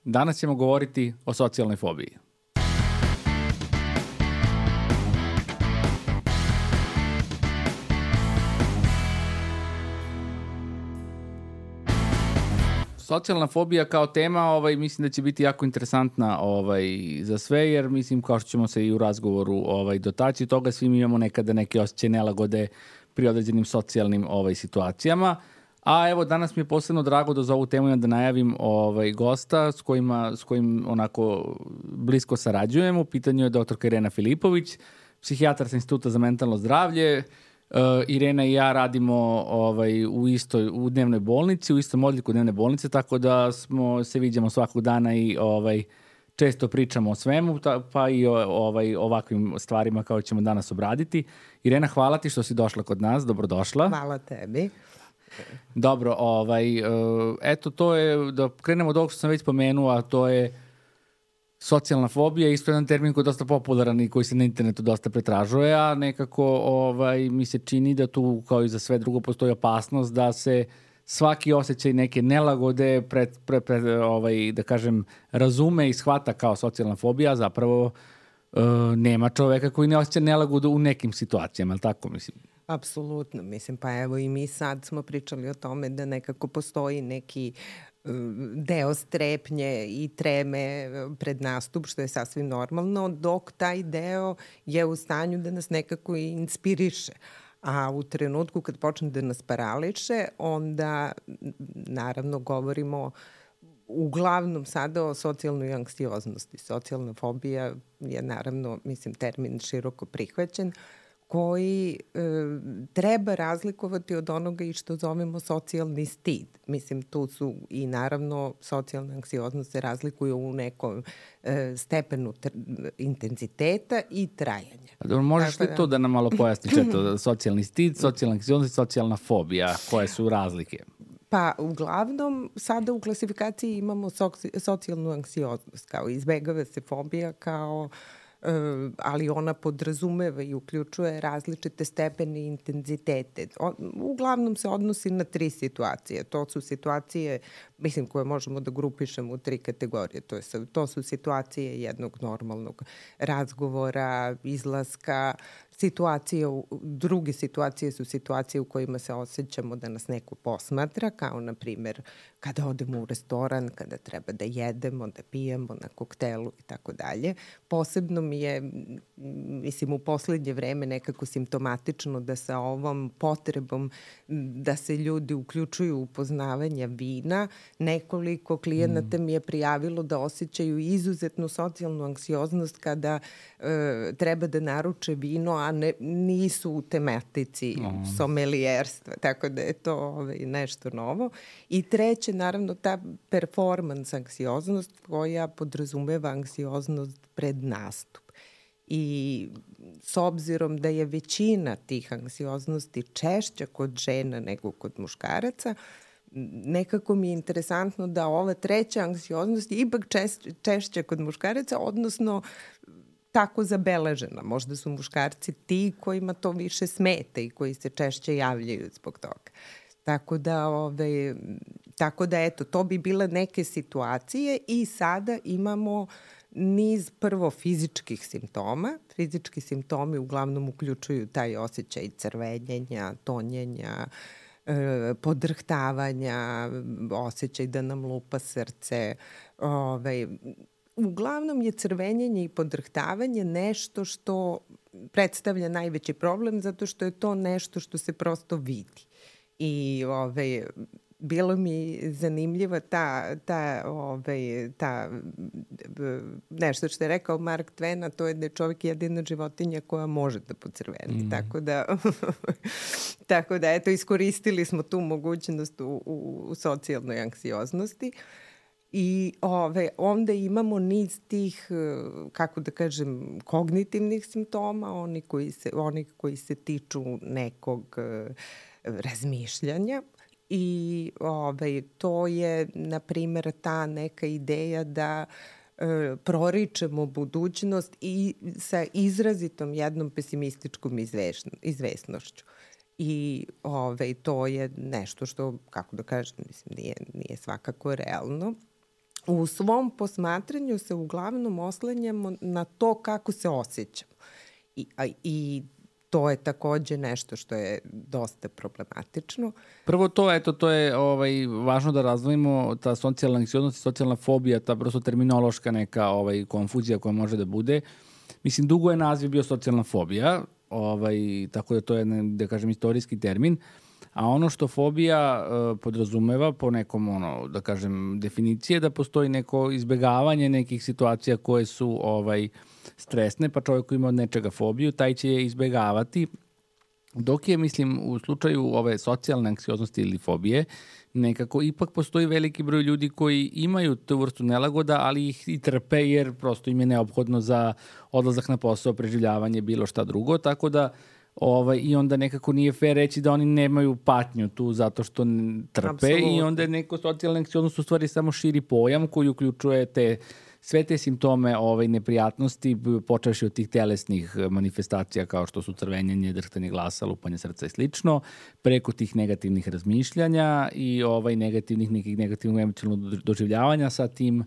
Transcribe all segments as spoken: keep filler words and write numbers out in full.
Danas ćemo govoriti o socijalnoj fobiji. Socijalna fobija kao tema, ovaj, mislim da će biti jako interesantna ovaj, za sve, jer mislim kao što ćemo se i u razgovoru ovaj, dotaći toga, svi mi imamo nekada neke osjećaje nelagode pri određenim socijalnim ovaj, situacijama. A evo, danas mi je posebno drago da za ovu temu ja da najavim ovaj, gosta s, kojima, s kojim onako blisko sarađujemo. U pitanju je doktorka Irena Filipović, psihijatar sa Instituta za mentalno zdravlje. Uh, Irena i ja radimo ovaj, u istoj u dnevnoj bolnici, u istom odliku dnevne bolnice, tako da smo se viđamo svakog dana i ovaj, često pričamo o svemu, ta, pa i o ovaj, ovakvim stvarima kao ćemo danas obraditi. Irena, hvala ti što si došla kod nas, dobrodošla. Hvala tebi. Dobro, ovaj, uh, eto to je, da krenemo od ovog što sam već spomenuo, a to je socijalna fobija, isto jedan termin koji je dosta popularan i koji se na internetu dosta pretražuje, a nekako ovaj, mi se čini da tu, kao i za sve drugo, postoji opasnost da se svaki osjećaj neke nelagode pred, pred, pred, ovaj, da kažem, razume i shvata kao socijalna fobija, zapravo uh, nema čoveka koji ne osjeća nelagodu u nekim situacijama, ali tako mislim? Apsolutno, mislim, pa evo i mi sad smo pričali o tome da nekako postoji neki deo strepnje i treme pred nastup, što je sasvim normalno, dok taj deo je u stanju da nas nekako i inspiriše. A u trenutku kad počne da nas parališe, onda naravno govorimo uglavnom sada o socijalnoj anksioznosti. Socijalna fobija je naravno, mislim, termin široko prihvaćen, koji e, treba razlikovati od onoga i što zovemo socijalni stid. Mislim, tu su i naravno socijalna anksioznost se razlikuje u nekom e, stepenu tr- intenziteta i trajanja. Dobro, možeš li da... to da nam malo pojasniš, eto, socijalni stid, socijalna anksioznost i socijalna fobija, koje su razlike? Pa, uglavnom, sada u klasifikaciji imamo soci- socijalnu anksioznost, kao izbegava se fobija kao ali ona podrazumeva i uključuje različite stepene i intenzitete. Uglavnom se odnosi na tri situacije. To su situacije, mislim, koje možemo da grupišemo u tri kategorije. To, je, to su situacije jednog normalnog razgovora, izlaska, situacije, druge situacije su situacije u kojima se osjećamo da nas neko posmatra, kao na primjer kada odemo u restoran, kada treba da jedemo, da pijemo na koktelu i tako dalje. Posebno mi je, mislim, u poslednje vreme nekako simptomatično da sa ovom potrebom da se ljudi uključuju u poznavanje vina, nekoliko klijenata mi je prijavilo da osjećaju izuzetnu socijalnu anksioznost kada e, treba da naruče vino, a ne, nisu u tematici mm. somelijerstva, tako da je to ovaj, nešto novo. I treće, naravno, ta performance anksioznost koja podrazumeva anksioznost pred nastup. I s obzirom da je većina tih anksioznosti češća kod žena nego kod muškaraca, nekako mi je interesantno da ova treća anksioznost je ipak češća, češća kod muškaraca, odnosno tako zabeležena. Možda su muškarci ti kojima to više smeta i koji se češće javljaju zbog toga. Tako da, ove, tako da eto, to bi bile neke situacije i sada imamo niz prvo fizičkih simptoma. Fizički simptomi uglavnom uključuju taj osjećaj crvenjenja, tonjenja, e, podrhtavanja, osjećaj da nam lupa srce. Ove, uglavnom je crvenjenje i podrhtavanje nešto što predstavlja najveći problem zato što je to nešto što se prosto vidi. I ove, bilo mi zanimljiva ta, ta, ove, ta nešto što je rekao Mark Twain, a to je da je čovjek jedina životinja koja može da pocrveni. Mm. Tako da, tako da, eto, iskoristili smo tu mogućnost u, u, u socijalnoj anksioznosti. I ove, onda imamo niz tih, kako da kažem, kognitivnih simptoma, oni koji se, oni koji se tiču nekog razmišljanja. I ovaj, to je, na primjer, ta neka ideja da e, proričemo budućnost i sa izrazitom jednom pesimističkom izvešno, izvesnošću. I ovaj, to je nešto što, kako da kažem, mislim, nije, nije svakako realno. u svom posmatranju se uglavnom oslanjamo na to kako se osjećamo. I, a, i to je takođe nešto što je dosta problematično. Prvo to, eto, to je ovaj, važno da razvojimo ta socijalna anksioznost i socijalna fobija, ta prosto terminološka neka ovaj, konfuzija koja može da bude. Mislim, dugo je naziv bio socijalna fobija, ovaj, tako da to je, da kažem, istorijski termin, a ono što fobija uh, podrazumeva po nekom, ono, da kažem, definicije, da postoji neko izbegavanje nekih situacija koje su ovaj, stresne, pa čovjek koji ima od nečega fobiju, taj će je izbegavati. Dok je, mislim, u slučaju ove socijalne anksioznosti ili fobije, nekako ipak postoji veliki broj ljudi koji imaju tu vrstu nelagoda, ali ih i trpe jer prosto im je neophodno za odlazak na posao, preživljavanje, bilo šta drugo, tako da ovaj, i onda nekako nije fair reći da oni nemaju patnju tu zato što trpe. Absolutno. I onda je neko socijalna anksioznost u stvari samo širi pojam koji uključuje te sve te simptome ovaj, neprijatnosti, počevši od tih telesnih manifestacija kao što su crvenjenje, drhtanje glasa, lupanje srca i slično, preko tih negativnih razmišljanja i ovaj, negativnih, nekih negativnog emocionalnog doživljavanja sa tim,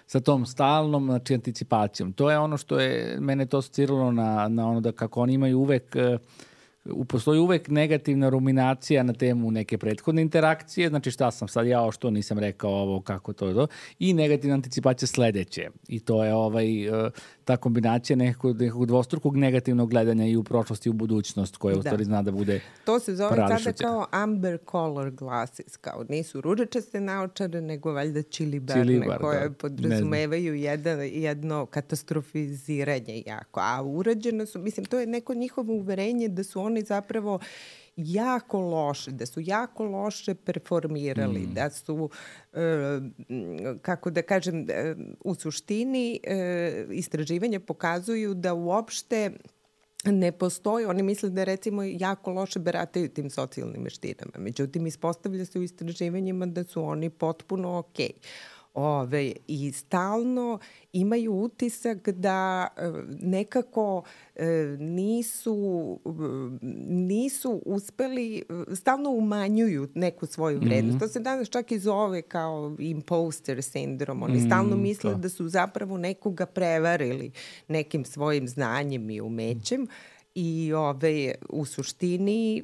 sa tom stalnom, znači, anticipacijom. To je ono što je mene to asociralo na, na ono da kako oni imaju uvek postoji uvek negativna ruminacija na temu neke prethodne interakcije, znači šta sam sad ja, što nisam rekao ovo, kako to je to, i negativna anticipacija sledeće. I to je ovaj, ta kombinacija nekog, nekog dvostrukog negativnog gledanja i u prošlost i u budućnost, koja u stvari zna da bude to se zove sada kao amber color glasses, kao nisu ružičaste naočare, nego valjda čilibarne, čilibar, koje da, podrazumevaju jedan, jedno katastrofiziranje jako. A urađeno su, mislim, to je neko njihovo uverenje da su oni zapravo jako loše, da su jako loše performirali, mm. da su, e, kako da kažem, e, u suštini e, istraživanja pokazuju da uopšte ne postoji, oni misle da recimo jako loše barataju tim socijalnim veštinama. Međutim, ispostavlja se u istraživanjima da su oni potpuno okej. Ove, i stalno imaju utisak da e, nekako e, nisu, nisu uspeli, stalno umanjuju neku svoju vrednost. Mm-hmm. To se danas čak i zove kao imposter sindrom. Oni mm, stalno misle to. da su zapravo nekoga prevarili nekim svojim znanjem i umećem. I ove, u suštini,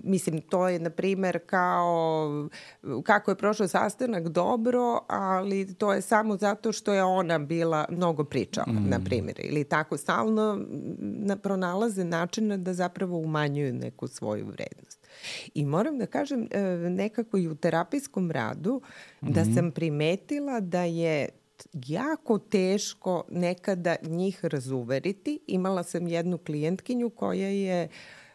mislim, to je, na primer, kao kako je prošao sastanak dobro, ali to je samo zato što je ona bila mnogo pričala, mm. na primjer. Ili tako stalno na, pronalaze načina da zapravo umanjuju neku svoju vrednost. I moram da kažem, nekako i u terapijskom radu, mm. da sam primetila da je jako teško nekada njih razuveriti. Imala sam jednu klijentkinju koja je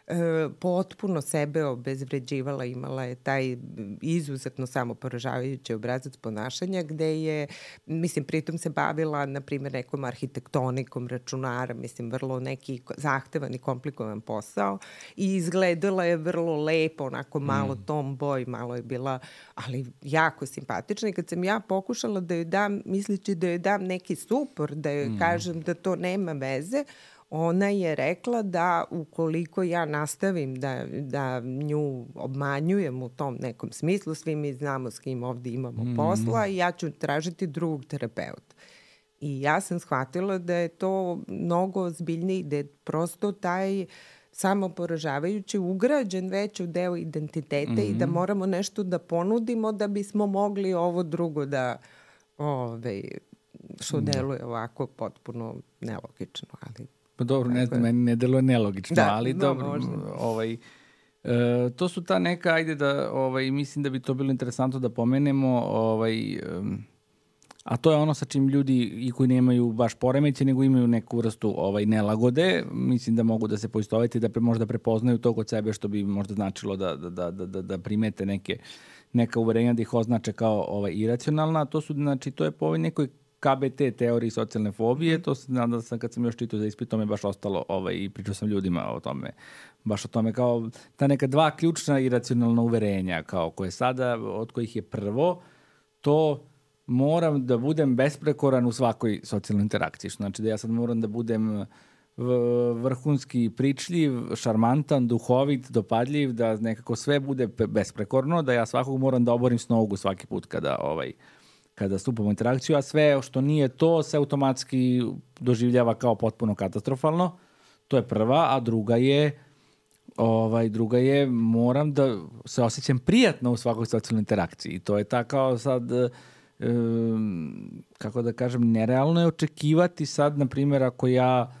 e, potpuno sebe obezvređivala, imala je taj izuzetno samoporažavajući obrazac ponašanja gde je, mislim, pritom se bavila, na primjer, nekom arhitektonikom računara, mislim, vrlo neki zahtevan i komplikovan posao i izgledala je vrlo lepo, onako malo mm. tomboy, malo je bila, ali jako simpatična. I kad sam ja pokušala da joj dam, mislići da joj dam neki supor, da joj mm. kažem da to nema veze, ona je rekla da ukoliko ja nastavim da, da nju obmanjujem u tom nekom smislu, svi mi znamo s kim ovde imamo mm. posla i ja ću tražiti drugog terapeuta. I ja sam shvatila da je to mnogo ozbiljniji, da je prosto taj samoporažavajući ugrađen već u deo identiteta mm-hmm. i da moramo nešto da ponudimo da bismo mogli ovo drugo da, ove, što deluje ovako potpuno nelogično, ali pa dobro, ne, meni ne deluje nelogično, da, ali no, dobro, možda. ovaj, e, to su ta neka, ajde da, ovaj, mislim da bi to bilo interesantno da pomenemo, ovaj, um, a to je ono sa čim ljudi i koji nemaju baš poremeće, nego imaju neku vrstu ovaj, nelagode, mislim da mogu da se poistovete, da pre, možda prepoznaju to kod sebe, što bi možda značilo da, da, da, da, da primete neke, neka uverenja da ih označe kao ovaj, iracionalna. To su, znači, to je po ovoj nekoj K B T teoriji socijalne fobije, to se nadam da sam kad sam još čitao za ispit, to me baš ostalo ovaj, i pričao sam ljudima o tome, baš o tome kao ta neka dva ključna iracionalna uverenja, kao koje sada, od kojih je prvo, to moram da budem besprekoran u svakoj socijalnoj interakciji, što znači da ja sad moram da budem vrhunski pričljiv, šarmantan, duhovit, dopadljiv, da nekako sve bude besprekorno, da ja svakog moram da oborim s nogu svaki put kada ovaj kada stupamo u interakciju, a sve što nije to se automatski doživljava kao potpuno katastrofalno. To je prva, a druga je ovaj, druga je moram da se osjećam prijatno u svakoj socijalnoj interakciji. I to je ta kao sad, um, kako da kažem, nerealno je očekivati sad, na primjer, ako ja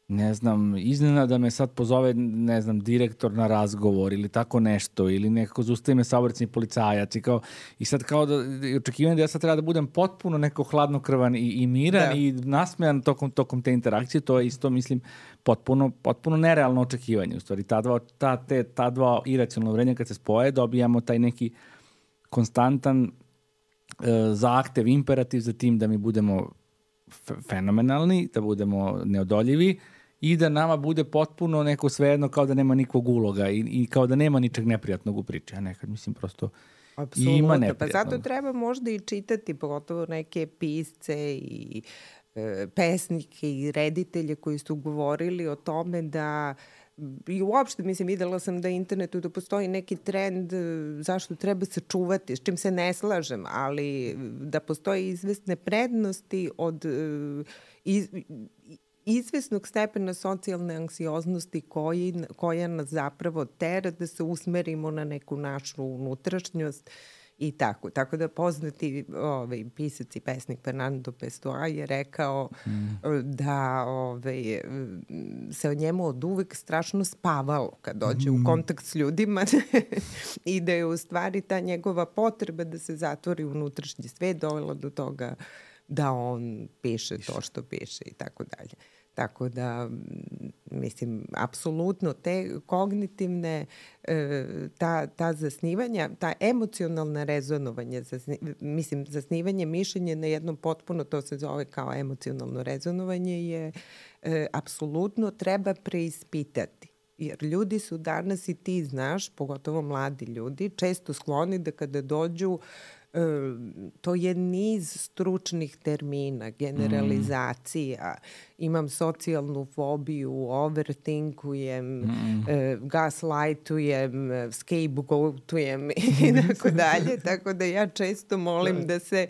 ne znam, iznenada me sad pozove, ne znam, direktor na razgovor ili tako nešto, ili nekako zaustavi me saobraćajni policajac i, kao, i sad kao da očekivanje da ja sad treba da budem potpuno neko hladnokrvan i, i miran da. I nasmejan tokom, tokom te interakcije, to je isto, mislim, potpuno, potpuno nerealno očekivanje. U stvari, ta dva, ta, te, ta dva iracionalna uverenja kad se spoje, dobijamo taj neki konstantan e, zahtev, imperativ za tim da mi budemo fenomenalni, da budemo neodoljivi i da nama bude potpuno neko svejedno kao da nema nikog uloga i, i kao da nema ničeg neprijatnog u priči. A nekad mislim prosto apsolutno. Ima neprijatnog. Pa zato treba možda i čitati, pogotovo neke pisce i e, pesnike i reditelje koji su govorili o tome da i uopšte, mislim, videla sam da internetu da postoji neki trend zašto treba se čuvati, s čim se ne slažem, ali da postoji izvesne prednosti od iz, izvesnog stepena socijalne anksioznosti koji, koja nas zapravo tera da se usmerimo na neku našu unutrašnjost i tako. Tako da poznati ovaj, pisac i pesnik Fernando Pessoa je rekao mm. da ovaj, se o njemu od uvek strašno spavalo kad dođe mm. u kontakt s ljudima i da je u stvari ta njegova potreba da se zatvori unutrašnji svet dovela do toga da on piše to što piše i tako dalje. Tako da, mislim, apsolutno te kognitivne, ta, ta zasnivanja, ta emocionalna rezonovanja, zasni, mislim, zasnivanje mišljenja na jednom potpuno, to se zove kao emocionalno rezonovanje, je e, apsolutno treba preispitati. Jer ljudi su danas, i ti znaš, pogotovo mladi ljudi, često skloni da kada dođu, to je niz stručnih termina, generalizacija, mm. imam socijalnu fobiju, overthinkujem, mm. e, gaslightujem, scapegoatujem i tako dalje, tako da ja često molim da se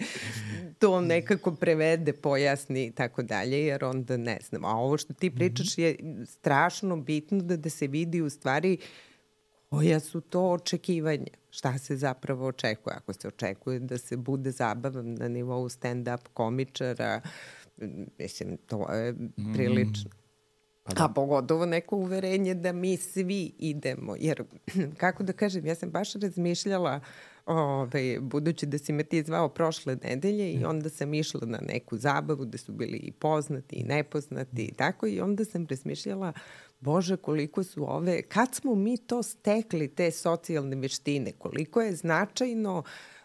to nekako prevede, pojasni i tako dalje, jer onda ne znam. A ovo što ti pričaš je strašno bitno da, da se vidi u stvari koja su to očekivanja. Šta se zapravo očekuje? Ako se očekuje da se bude zabavan na nivou stand-up komičara, mislim, to je prilično. Mm. A pogotovo neko uverenje da mi svi idemo. Jer, kako da kažem, ja sam baš razmišljala, ove, budući da si me ti zvao prošle nedelje i onda sam išla na neku zabavu da su bili i poznati i nepoznati i tako, i onda sam razmišljala, Bože, koliko su ove, kad smo mi to stekli, te socijalne veštine, koliko je značajno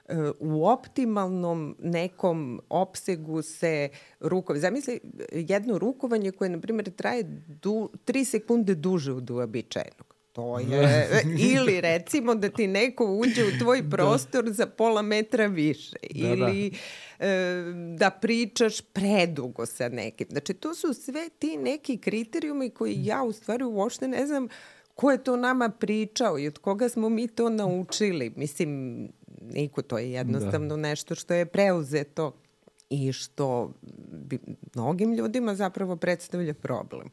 uh, u optimalnom nekom opsegu se rukove. Zamisli jedno rukovanje koje, na primjer, traje du, tri sekunde duže od uobičajenog. To je, ili recimo da ti neko uđe u tvoj prostor da. za pola metra više, da, ili da. E, da pričaš predugo sa nekim. Znači, to su sve ti neki kriterijumi koji ja u stvari uopšte ne znam ko je to nama pričao i od koga smo mi to naučili. Mislim, niko, to je jednostavno da. nešto što je preuzeto i što bi mnogim ljudima zapravo predstavlja problem.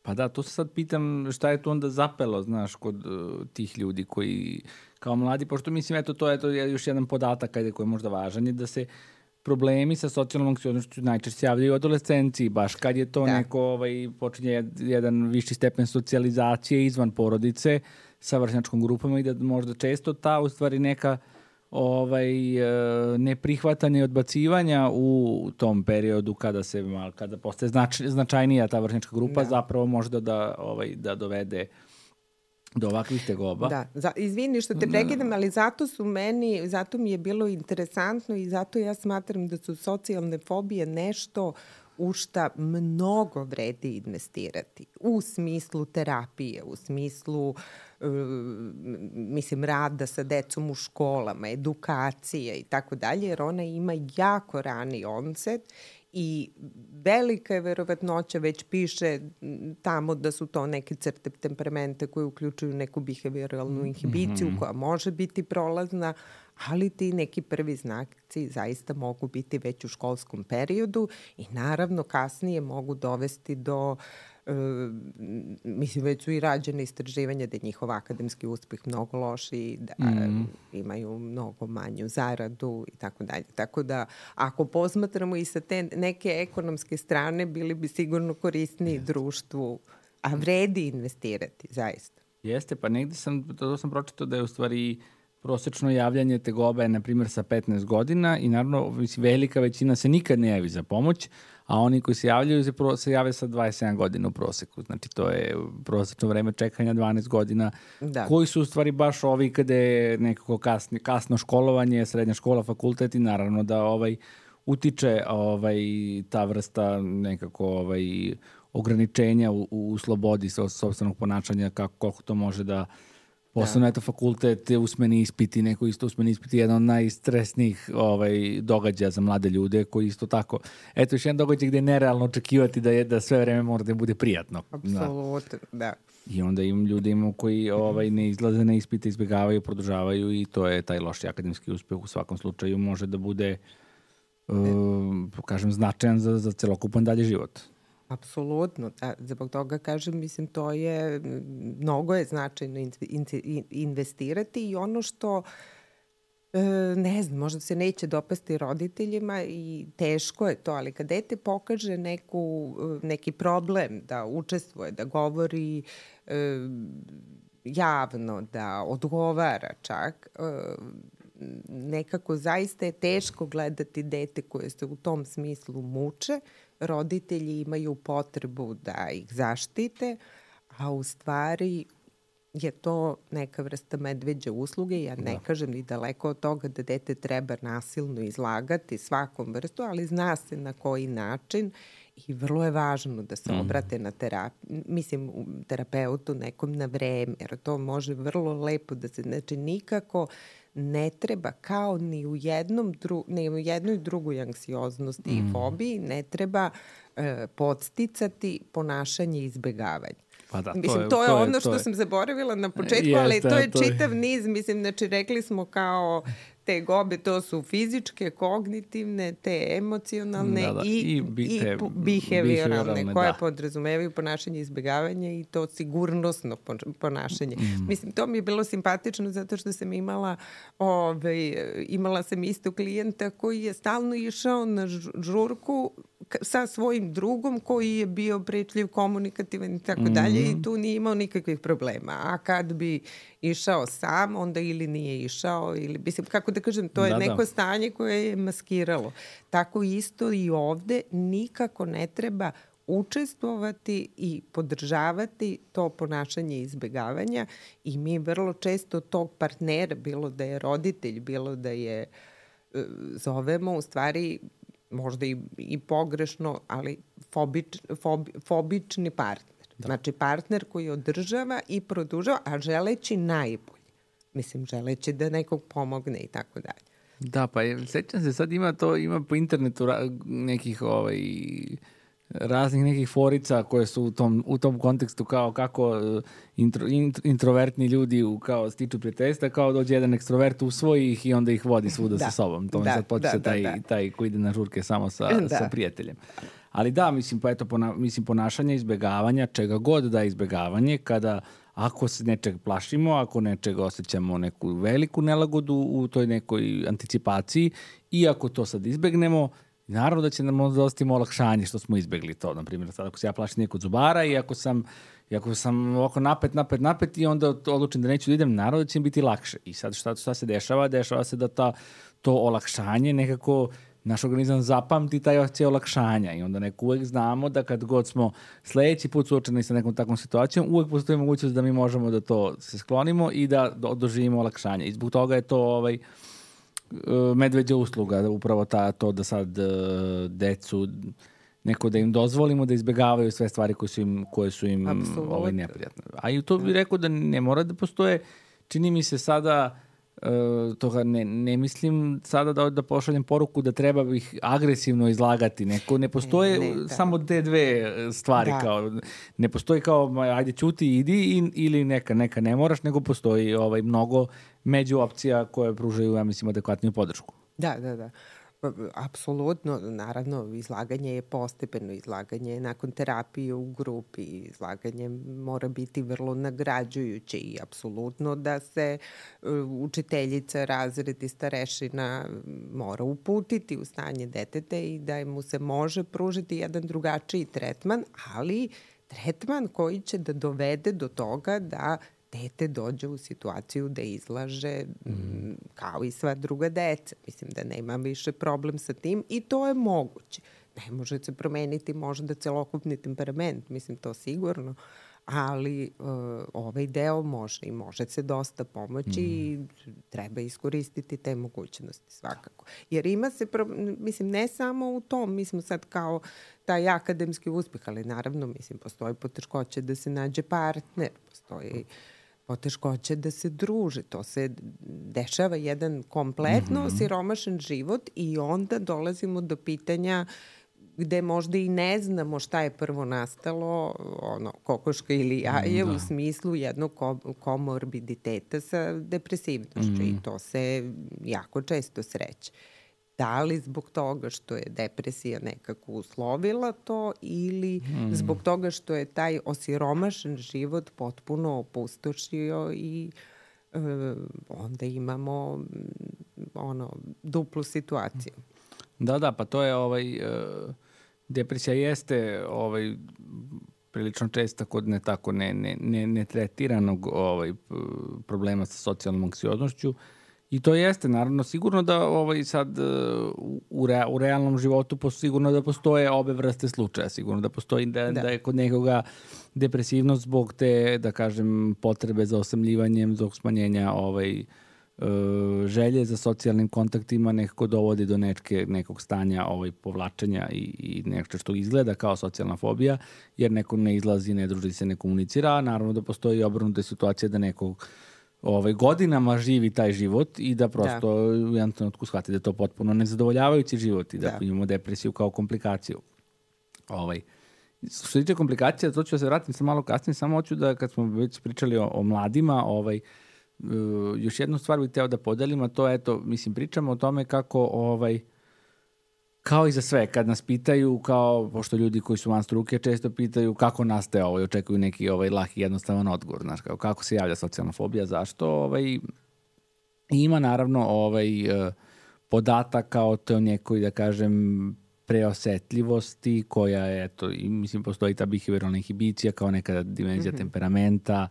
Pa da, to se sad pitam šta je to onda zapelo, znaš, kod uh, tih ljudi koji kao mladi, pošto mislim, eto, to je, to je još jedan podatak ajde, koji je možda važan, je da se problemi sa socijalnom anksioznošću najčešće javljaju u adolescenciji, baš kad je to da. neko, ovaj, počinje jedan viši stepen socijalizacije izvan porodice sa vršnjačkom grupama i da možda često ta, u stvari, neka ovaj, neprihvatanje i odbacivanja u tom periodu kada se kada postaje znač, značajnija ta vršnjačka grupa da. zapravo možda da, ovaj, da dovede do ovakvih tegoba. Da, za, izvini što te prekidam, ali zato su meni, zato mi je bilo interesantno i zato ja smatram da su socijalne fobije nešto u šta mnogo vredi investirati. U smislu terapije, u smislu uh, mislim, rada sa decom u školama, edukacije i tako dalje, jer ona ima jako rani onset i velika je verovatnoća, već piše tamo da su to neke crte temperamente koje uključuju neku behavioralnu inhibiciju mm-hmm. koja može biti prolazna, ali ti neki prvi znaci zaista mogu biti već u školskom periodu i naravno kasnije mogu dovesti do Uh, mislim, već su i rađene istraživanja da je njihov akademski uspeh mnogo loši, da mm. imaju mnogo manju zaradu i tako dalje. Tako da, ako posmatramo i sa te neke ekonomske strane, bili bi sigurno korisniji yes. društvu, a vredi investirati, zaista. Jeste, pa negde sam, to sam pročitao da je u stvari prosečno javljanje tegobe, na primjer, sa petnaest godina i naravno velika većina se nikad ne javi za pomoć, a oni koji se javljaju se, pro, se jave sa dvadeset sedam godina u proseku. Znači, to je prosečno vreme čekanja dvanaest godina, da. Koji su u stvari baš ovi kada je nekako kasni, kasno školovanje, srednja škola, fakultet i naravno da ovaj utiče ovaj, ta vrsta nekako ovaj, ograničenja u, u slobodi sopstvenog ponašanja, kako, koliko to može da posebno, eto, fakultet, usmeni ispiti, neko isto usmeni ispiti, jedan od najstresnijih ovaj, događaja za mlade ljude, koji isto tako, eto, još jedan događaj gde je nerealno očekivati da, je, da sve vreme mora da bude prijatno. Apsolutno, da. da. I onda im ljudi imamo koji ovaj, ne izlaze na ispite, izbjegavaju, produžavaju i to je taj loši akademski uspeh u svakom slučaju može da bude, uh, kažem, značajan za, za celokupan dalje život. Apsolutno, da, zbog toga kažem, mislim, to je, mnogo je značajno in, in, investirati i ono što, e, ne znam, možda se neće dopasti roditeljima i teško je to, ali kad dete pokaže neku, neki problem da učestvuje, da govori e, javno, da odgovara čak, e, nekako zaista je teško gledati dete koje se u tom smislu muče. Roditelji imaju potrebu da ih zaštite, a u stvari je to neka vrsta medveđe usluge. Ja ne da. kažem ni daleko od toga da dete treba nasilno izlagati svakom vrstu, ali zna se na koji način i vrlo je važno da se obrate na terapiju, mislim, terapeutu nekom na vreme, jer to može vrlo lepo da se, znači nikako ne treba, kao ni u jednom dru, ne u jednoj drugoj anksioznosti mm. i fobiji, ne treba e, podsticati ponašanje i izbegavanje. Pa da, mislim, to je, to je to ono je, što je. sam zaboravila na početku, Jeste, ali to je to čitav je. niz, mislim, znači rekli smo kao te gobe, to su fizičke, kognitivne, te emocionalne da, da. i, i, bite, i behavioralne, koje da. podrazumevaju ponašanje izbjegavanja i to sigurnosno ponašanje. Mm. Mislim, to mi je bilo simpatično zato što sam imala, ovaj, imala sam isto klijenta koji je stalno išao na žurku sa svojim drugom koji je bio pričljiv, komunikativan i tako mm. dalje i tu nije imao nikakvih problema. A kad bi išao sam, onda ili nije išao, ili, mislim, kako da kažem, to je da, neko da. stanje koje je maskiralo. Tako isto i ovde nikako ne treba učestvovati i podržavati to ponašanje izbegavanja i mi vrlo često tog partnera, bilo da je roditelj, bilo da je zovemo, u stvari možda i, i pogrešno, ali fobič, fobi, fobični partner. Da. Znači partner koji održava i produžava, a želeći najbolje. Mislim, želeći da nekog pomogne i tako dalje. Da, pa je, sećam se, sad ima to, ima po internetu nekih ovaj, raznih nekih forica koje su u tom, u tom kontekstu kao kako intro, intro, introvertni ljudi u, kao stiču prijateljstva, kao dođe jedan ekstrovert, usvoji ih i onda ih vodi svuda da. sa sobom. To mi da, sad počeće da, taj, da, da. taj koji ide na žurke samo sa, da. sa prijateljem. Ali da, mislim, pa eto, pona, mislim, ponašanje izbegavanja, čega god da je izbegavanje, kada ako se nečeg plašimo, ako nečeg osjećamo neku veliku nelagodu u toj nekoj anticipaciji i ako to sad izbegnemo, naravno da će nam dostimo olakšanje što smo izbegli to. Naprimjer, sad ako se ja plašim nekog zubara i ako sam, i ako sam ovako napet, napet, napet i onda odlučim da neću da idem, naravno da će mi biti lakše. I sad šta, šta se dešava? Dešava se da ta, to olakšanje nekako naš organizam zapamti taj osjećaj olakšanja i onda neko uvek znamo da kad god smo sledeći put suočeni sa nekom takvom situacijom, uvek postoji mogućnost da mi možemo da to se sklonimo i da doživimo olakšanje. I zbog toga je to ovaj, medveđa usluga, upravo ta, to da sad decu neko da im dozvolimo da izbegavaju sve stvari koje su im, koje su im ovaj, neprijatne. A i to bih rekao da ne mora da postoje, čini mi se sada Uh, toga ne, ne mislim sada da, da pošaljem poruku da treba ih agresivno izlagati. Neko, ne postoje ne, ne, samo te dve stvari. Da. Kao, ne postoji kao ajde ćuti, idi i, ili neka, neka ne moraš, nego postoji ovaj, mnogo među opcija koje pružaju, ja mislim, adekvatniju podršku. Da, da, da. Apsolutno, naravno, izlaganje je postepeno, izlaganje je nakon terapije u grupi, izlaganje mora biti vrlo nagrađujuće i apsolutno da se učiteljica, razred i starešina mora uputiti u stanje deteta i da mu se može pružiti jedan drugačiji tretman, ali tretman koji će da dovede do toga da dete dođe u situaciju da izlaže mm. kao i sva druga deca. Mislim da nema više problem sa tim i to je moguće. Ne može se promeniti možda celokupni temperament, mislim to sigurno, ali uh, ovaj deo može i može se dosta pomoći mm. i treba iskoristiti te mogućnosti svakako. Jer ima se, pro, mislim, ne samo u tom, mi smo sad kao taj akademski uspeh, ali naravno, mislim, postoji poteškoće da se nađe partner, postoji poteškoće da se druže. To se dešava jedan kompletno mm-hmm. siromašan život i onda dolazimo do pitanja gde možda i ne znamo šta je prvo nastalo, ono, kokoška ili jaje, da. U smislu jednog komorbiditeta sa depresivnošću mm. i to se jako često sreće. Da li zbog toga što je depresija nekako uslovila to ili mm. zbog toga što je taj osiromašen život potpuno opustošio i e, onda imamo ono, duplu situaciju. Da, da, pa to je ovaj, uh, depresija jeste ovaj, prilično česta kod ne tako ne, ne, ne, ne tretiranog ovaj, problema sa socijalnom anksioznošću. I to jeste, naravno, sigurno da ovaj, sad u, rea, u realnom životu sigurno da postoje obe vrste slučaja, sigurno da postoji da, da. da je kod nekoga depresivnost zbog te, da kažem, potrebe za osamljivanjem, zbog smanjenja ovaj, želje za socijalnim kontaktima nekako dovodi do nečke, nekog stanja ovaj, povlačenja i, i nešto što izgleda kao socijalna fobija, jer neko ne izlazi, ne druži se, ne komunicira, a naravno da postoji i obrnuta situacija da nekog ovaj, godinama živi taj život i da prosto da. u jednom trenutku shvati da je to potpuno nezadovoljavajući život i da, da. imamo depresiju kao komplikaciju. Ovaj, što se tiče komplikacija, to ću da se vratim sam malo kasnije, samo hoću da kad smo već pričali o, o mladima, ovaj, uh, još jednu stvar bih hteo da podelim, a to je, eto, mislim, pričamo o tome kako ovaj, kao i za sve, kad nas pitaju, kao, pošto ljudi koji su van struke često pitaju kako nastaje ovo i očekuju neki ovaj, laki jednostavan odgovor, znaš, kao, kako se javlja socijalna fobija, zašto, ovaj, ima naravno ovaj, podataka o toj nekoj, da kažem, preosetljivosti koja je, eto, i, mislim, postoji ta behavioralna inhibicija kao neka dimenzija mm-hmm. temperamenta,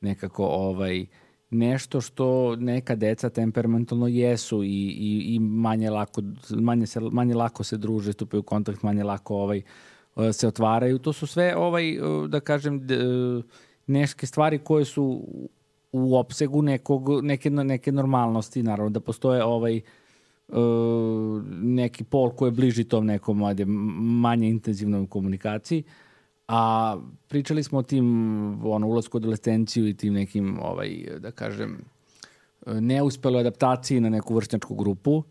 nekako ovaj, nešto što neka deca temperamentalno jesu i, i, i manje, lako, manje, se, manje lako se druže, stupaju u kontakt, manje lako ovaj, se otvaraju. To su sve, ovaj, da kažem, neke stvari koje su u opsegu nekog, neke, neke normalnosti. Naravno da postoje ovaj, neki pol koji je bliži tom nekom manje intenzivnoj komunikaciji. A pričali smo o tim ono, ulasku u adolescenciju i tim nekim, ovaj, da kažem, neuspeloj adaptaciji na neku vršnjačku grupu,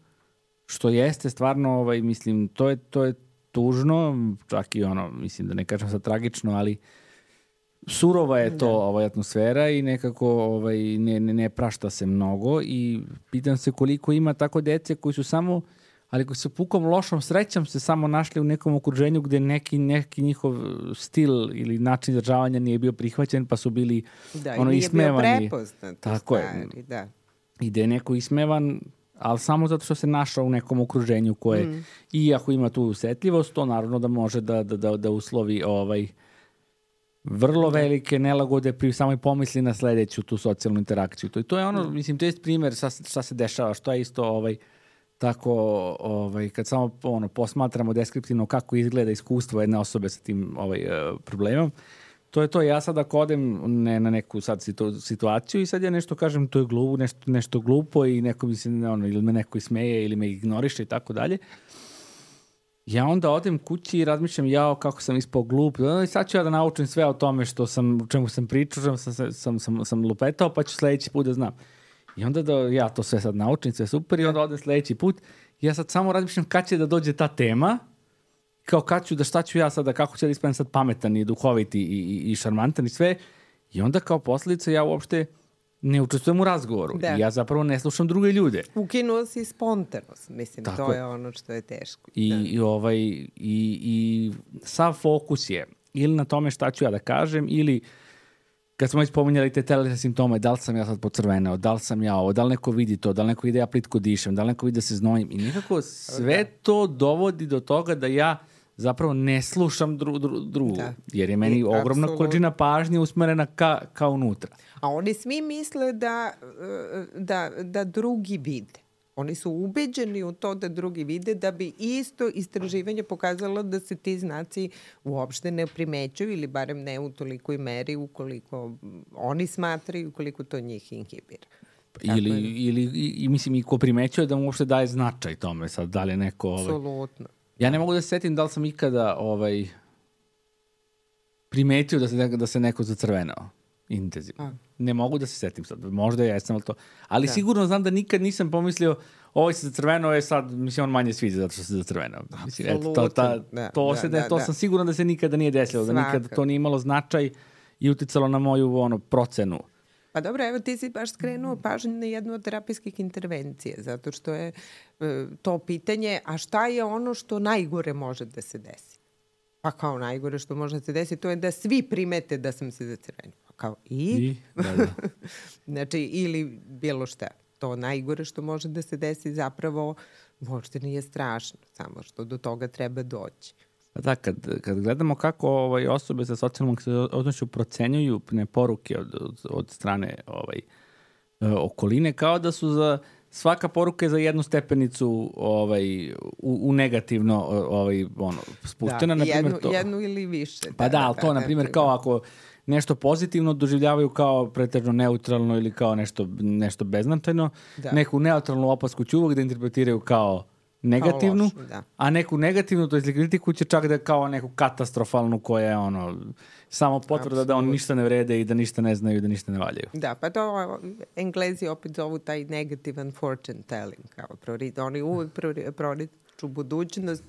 što jeste stvarno, ovaj, mislim, to je, to je tužno, čak i ono, mislim da ne kažem sad tragično, ali surova je to ovaj, atmosfera i nekako ovaj, ne, ne, ne prašta se mnogo i pitam se koliko ima tako dece koji su samo, ali koji su pukom lošom srećom se samo našli u nekom okruženju gde neki, neki njihov stil ili način izražavanja nije bio prihvaćen, pa su bili da, ono, ismevani. Da, nije bio prepoznat. Tako stvari, je. Da. I gde je neko ismevan, ali samo zato što se našao u nekom okruženju koje, mm. i ako ima tu usetljivost, to naravno da može da, da, da, da uslovi ovaj, vrlo velike nelagode pri samoj pomisli na sledeću tu socijalnu interakciju. To, i to je ono, mm. mislim, čest primjer šta, šta se dešava, što je isto ovaj, tako, ovaj, kad samo ono, posmatramo deskriptivno kako izgleda iskustvo jedne osobe sa tim ovaj, problemom, to je to. Ja sad ako odem ne, na neku sad situ, situaciju i sad ja nešto kažem, to je glupo, nešto, nešto glupo i neko mi se, ono, ili me neko ismeje ili me ignoriše i tako dalje. Ja onda odem kući i razmišljam, jao, kako sam ispao glup. I sad ću ja da naučim sve o tome što sam, o čemu sam pričao, sam, sam, sam, sam lupetao, pa ću sledeći put da znam. I onda da ja to sve sad naučim, sve super, i onda odem sledeći put. Ja sad samo razmišljam kad će da dođe ta tema, kao kad ću, da šta ću ja sada, kako ću da ispadnem sad pametan i duhovit i, i, i šarmantan i sve. I onda kao posljedica ja uopšte ne učestvujem u razgovoru. Da. I ja zapravo ne slušam druge ljude. Ukinuo si spontanost. Mislim, tako to je ono što je teško. I, da. i, ovaj, i, i sav fokus je ili na tome šta ću ja da kažem, ili kad smo već pominjali te telesne simptome, da li sam ja sad pocrveneo, da li sam ja ovo, da li neko vidi to, da li neko vidi ja plitko dišem, da li neko vidi da se znojim. I nekako sve to dovodi do toga da ja zapravo ne slušam dru, dru, drugu, da. Jer je meni I, ogromna absolut. Količina pažnje usmerena ka, ka unutra. A oni svi misle da, da, da drugi vide. Oni su ubeđeni u to da drugi vide, da bi isto istraživanje pokazalo da se ti znaci uopšte ne primećuju ili barem ne u tolikoj meri ukoliko oni smatraju, ukoliko to njih inhibira. Ili, je... ili i, i mislim i ko primećuje da mu uopšte daje značaj tome, sad da li je neko... Ovaj... Apsolutno. Ja ne mogu da se setim da li sam ikada ovaj, primetio da se, da se neko zacrvenao intenzivno. A. Ne mogu da se setim sad. Možda ja jesam, ali to... Ali da. Sigurno znam da nikad nisam pomislio ovo se zacrvenao je sad, mislim, on manje sviđa zato što se zacrvenao. Mislim, eto, to, ta, da, to, da, se, da, to da. Sam siguran da se nikada nije desilo, Svaka. Da nikada to nije imalo značaj i uticalo na moju ono, procenu. Pa dobro, evo ti si baš skrenuo pažnju na jednu od terapijskih intervencija, zato što je e, to pitanje, a šta je ono što najgore može da se desi? Pa kao najgore što može da se desi, to je da svi primete da sam se zacrvenio. Pa kao i? I da, da. Znači, ili bilo šta. To najgore što može da se desi zapravo možda nije strašno, samo što do toga treba doći. Pa da, kad, kad gledamo kako ovaj, osobe sa socijalnom odnošću procenjuju ne poruke od, od, od strane ovaj, okoline, kao da su za svaka poruka je za jednu stepenicu ovaj, u, u negativno ovaj, ono, spuštena. Da, jednu, to, jednu ili više. Pa da, da ali to, da, na primjer, kao ako nešto pozitivno doživljavaju kao pretežno neutralno ili kao nešto, nešto beznačajno, da. Neku neutralnu opasku će uvek da interpretiraju kao negativnu, loš, da. A neku negativnu, to je kritiku će čak da je kao neku katastrofalnu koja je ono, samo potvrda Absolut. Da oni ništa ne vrede i da ništa ne znaju i da ništa ne valjaju. Da, pa to Englezi opet zovu taj negativan fortune telling, kao prori, oni uvek proriču budućnost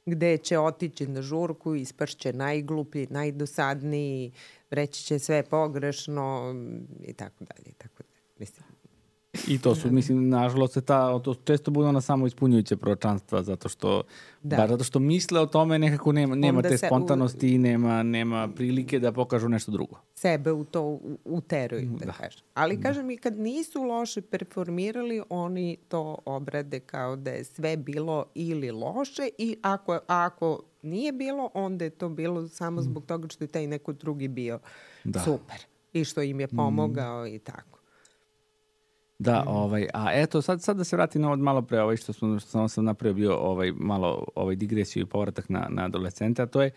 gde će otići na žurku, ispašće najgluplji, najdosadniji, reći će sve pogrešno i tako dalje, i tako dalje. Mislim, I to su, mislim, nažalost, ta, to često bude ona samo ispunjujuće proročanstva, zato što, da. Bar zato što misle o tome nekako nema, nema te spontanosti i u... nema, nema prilike da pokažu nešto drugo. Sebe u to uteruju, da, da kažem. Ali, kažem, i kad nisu loše performirali, oni to obrade kao da je sve bilo ili loše i ako, ako nije bilo, onda je to bilo samo zbog toga što je taj neko drugi bio da. Super i što im je pomogao mm. i tako. Da, ovaj, a eto, sad, sad da se vratim na od malo pre, ovaj, što, smo, što sam napravio bio ovaj, malo ovaj, digresiju i povratak na, na adolescente, a to je,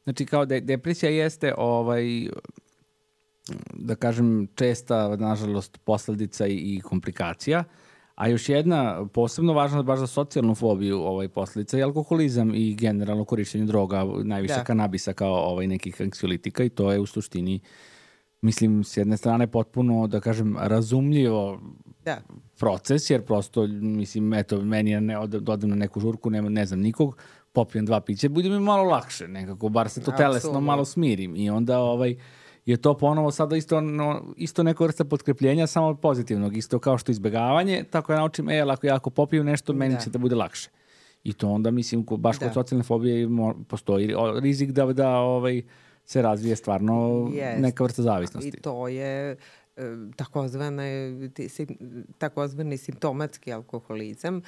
znači, kao da depresija jeste, ovaj, da kažem, česta, nažalost, posledica i, i komplikacija, a još jedna posebno važna baš za socijalnu fobiju ovaj, posledica je alkoholizam i generalno korišćenje droga, najviše da. Kanabisa kao ovaj, nekih anksiolitika i to je u suštini, mislim, s jedne strane potpuno, da kažem, razumljivo da. Proces, jer prosto, mislim, eto, meni je ne, odem na neku žurku, nema, ne znam nikog, popijem dva piće, bude mi malo lakše, nekako, bar se to Absolutno. Telesno malo smirim i onda ovaj, je to ponovo sada isto, no, isto neko vrsta potkrepljenja, samo pozitivnog, isto kao što izbegavanje, tako ja naučim, e, ako ja ako popijem nešto, meni da. Će da bude lakše. I to onda, mislim, baš da. Kod socijalne fobije postoji rizik da, da ovaj, se razvije stvarno yes. neka vrsta zavisnosti. I to je takozvane, takozvani simptomatski alkoholizam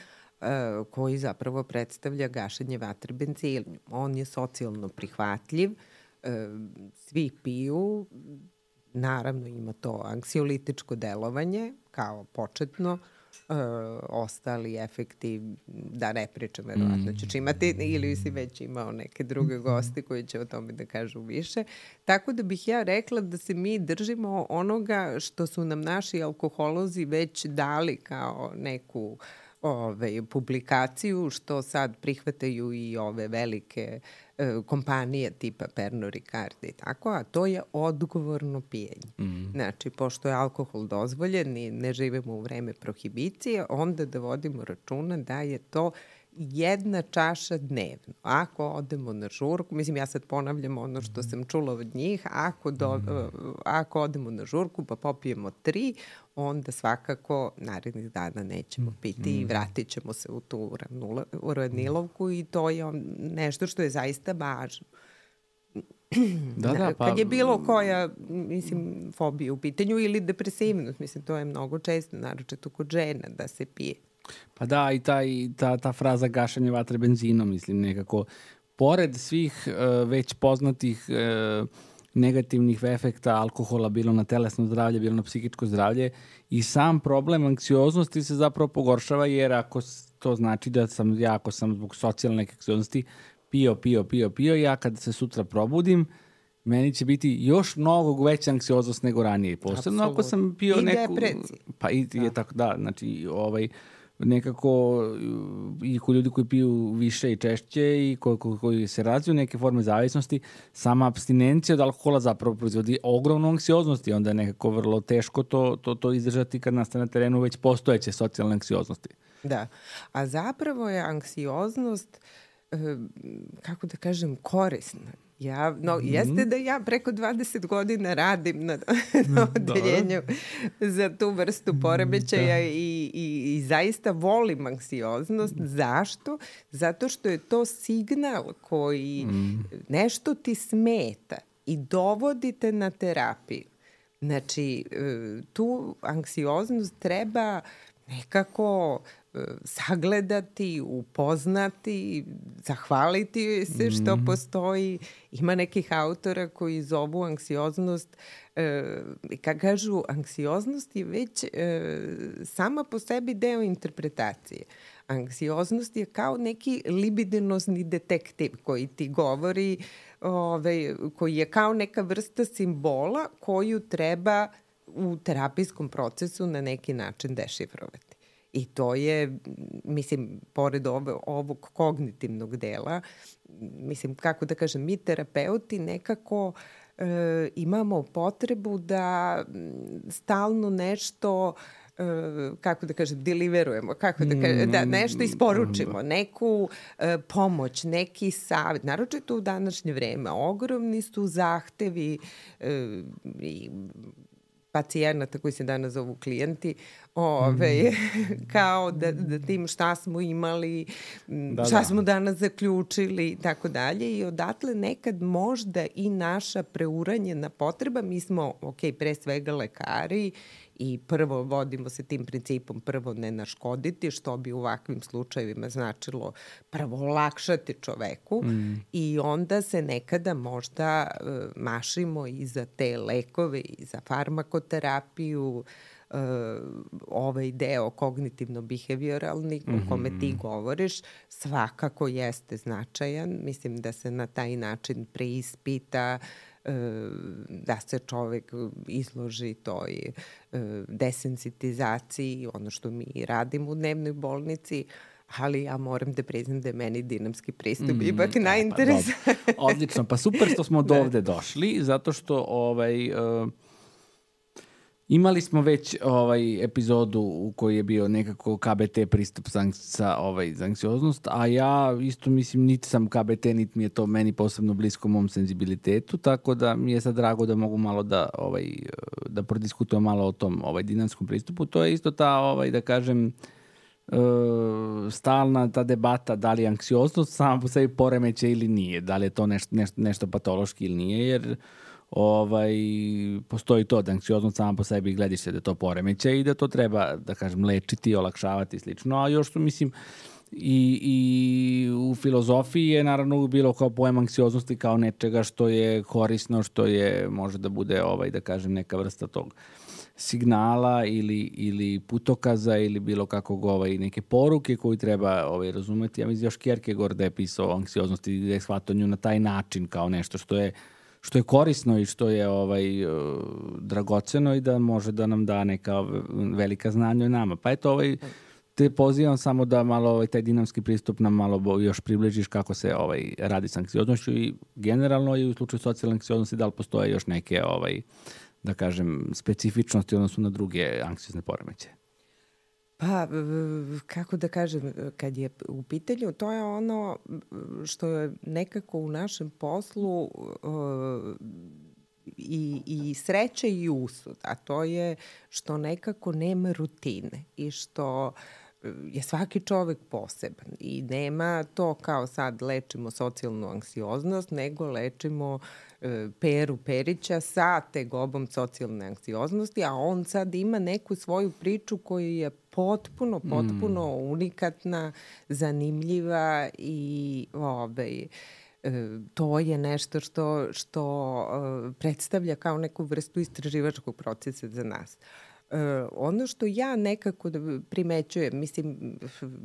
koji zapravo predstavlja gašenje vatre benzinom. On je socijalno prihvatljiv, svi piju, naravno ima to anksiolitičko delovanje kao početno, Uh, ostali efekti, da ne pričam, verovatno ćeš imati ili si već imao neke druge goste koji će o tome da kažu više. Tako da bih ja rekla da se mi držimo onoga što su nam naši alkoholozi već dali kao neku ove, publikaciju, što sad prihvataju i ove velike e, kompanije tipa Pernod Ricard i tako, a to je odgovorno pijenje. Mm. Znači, pošto je alkohol dozvoljen i ne živimo u vreme prohibicije, onda da vodimo računa da je to jedna čaša dnevno. Ako odemo na žurku, mislim, ja sad ponavljam ono što sam čula od njih, ako, do, ako odemo na žurku pa popijemo tri, onda svakako narednih dana nećemo piti i vratit ćemo se u tu uranilovku i to je nešto što je zaista važno. Da, da, pa... Kad je bilo koja, mislim, fobija u pitanju ili depresivnost, mislim, to je mnogo često, naročito kod žena, da se pije. Pa da, i ta, i ta, ta fraza gašanje vatre benzinom, mislim, nekako, pored svih uh, već poznatih uh, negativnih efekta alkohola, bilo na telesno zdravlje, bilo na psihičko zdravlje, i sam problem anksioznosti se zapravo pogoršava, jer ako to znači da sam, ja ako sam zbog socijalne neke anksioznosti pio, pio, pio, pio, ja kad se sutra probudim, meni će biti još mnogo veća anksioznost nego ranije. Posebno ako sam pio I neku... I depresija. Pa i da. je tako, da, znači, ovaj... nekako i kod ljudi koji piju više i češće i ko, ko, koji se razviju neke forme zavisnosti, sama apstinencija od alkohola zapravo proizvodi ogromnu anksioznost i onda je nekako vrlo teško to, to, to izdržati kad nastane na terenu već postojeće socijalne anksioznosti. Da, a zapravo je anksioznost, kako da kažem, korisna. Ja, no, mm-hmm. Jeste da ja preko dvadeset godina radim na, na odeljenju za tu vrstu poremećaja i, i, i zaista volim anksioznost. Zašto? Zato što je to signal koji mm. nešto ti smeta i dovodite na terapiju. Znači, tu anksioznost treba nekako sagledati, upoznati, zahvaliti se što mm. postoji. Ima nekih autora koji zovu anksioznost, e, kad kažu anksioznost je već e, sama po sebi deo interpretacije. Anksioznost je kao neki libidinozni detektiv koji ti govori, ove, koji je kao neka vrsta simbola koju treba u terapijskom procesu na neki način dešifrovati. I to je, mislim, pored ove, ovog kognitivnog dela, mislim, kako da kažem, mi terapeuti nekako e, imamo potrebu da stalno nešto, e, kako da kažem, deliverujemo, kako da kažem, da nešto isporučimo, neku e, pomoć, neki savjet. Naročito u današnje vreme ogromni su zahtevi e, i pacijenata koji se danas zovu klijenti, ove, kao da, da tim šta smo imali, da, šta da. smo danas zaključili i tako dalje. I odatle nekad možda i naša preuranjena potreba, mi smo, ok, pre svega lekari i prvo vodimo se tim principom prvo ne naškoditi, što bi u ovakvim slučajevima značilo prvo olakšati čoveku mm. i onda se nekada možda uh, mašimo i za te lekove i za farmakoterapiju, uh, ovaj deo kognitivno-behavioralni mm-hmm. o kome ti govoriš svakako jeste značajan. Mislim da se na taj način preispita, da se čovek izloži toj desensitizaciji, ono što mi radimo u dnevnoj bolnici, ali ja moram da priznam da je meni dinamski pristup mm, ipak najinteresantniji. Pa, odlično, pa super što smo do ovde došli, zato što ovaj... Uh... Imali smo već ovaj epizodu u kojoj je bio nekako K B T pristup za, za, ovaj, za anksioznost, a ja isto mislim niti sam K B T, niti mi je to meni posebno blisko mom senzibilitetu, tako da mi je sad drago da mogu malo da, ovaj, da prodiskutujem malo o tom ovaj, dinamskom pristupu. To je isto ta, ovaj, da kažem, stalna ta debata da li je anksioznost sama po sebi poremeće ili nije, da li je to nešto, nešto, nešto patološki ili nije, jer ovaj, postoji to da anksioznost sama po sebi gledište da to poremeće i da to treba, da kažem, lečiti, olakšavati i slično. A još što mislim i, i u filozofiji je naravno bilo kao pojem anksioznosti kao nečega što je korisno, što je, može da bude, ovaj, da kažem, neka vrsta tog signala ili, ili putokaza ili bilo kakvog ovaj, neke poruke koju treba ovaj, razumeti. Ja mislim još Kierkegaard je pisao o anksioznosti i da je shvatao nju na taj način kao nešto što je što je korisno i što je ovaj uh, dragoceno i da može da nam da neka velika znanja o nama. Pa eto, ovaj, te pozivam samo da malo ovaj, taj dinamski pristup nam malo još približiš kako se ovaj, radi s anksioznošću i generalno i u slučaju socijalne anksioznosti da li postoje još neke, ovaj, da kažem, specifičnosti odnosno na druge anksiozne poremećaje. Pa, kako da kažem, kad je u pitanju, to je ono što je nekako u našem poslu uh, i, i sreća i usud, a to je što nekako nema rutine i što je svaki čovek poseban i nema to kao sad lečimo socijalnu anksioznost, nego lečimo e, Peru Perića sa tegobom socijalne anksioznosti, a on sad ima neku svoju priču koja je potpuno, potpuno mm. unikatna, zanimljiva i ovaj, e, to je nešto što, što e, predstavlja kao neku vrstu istraživačkog procesa za nas. Uh, ono što ja nekako primećujem, mislim,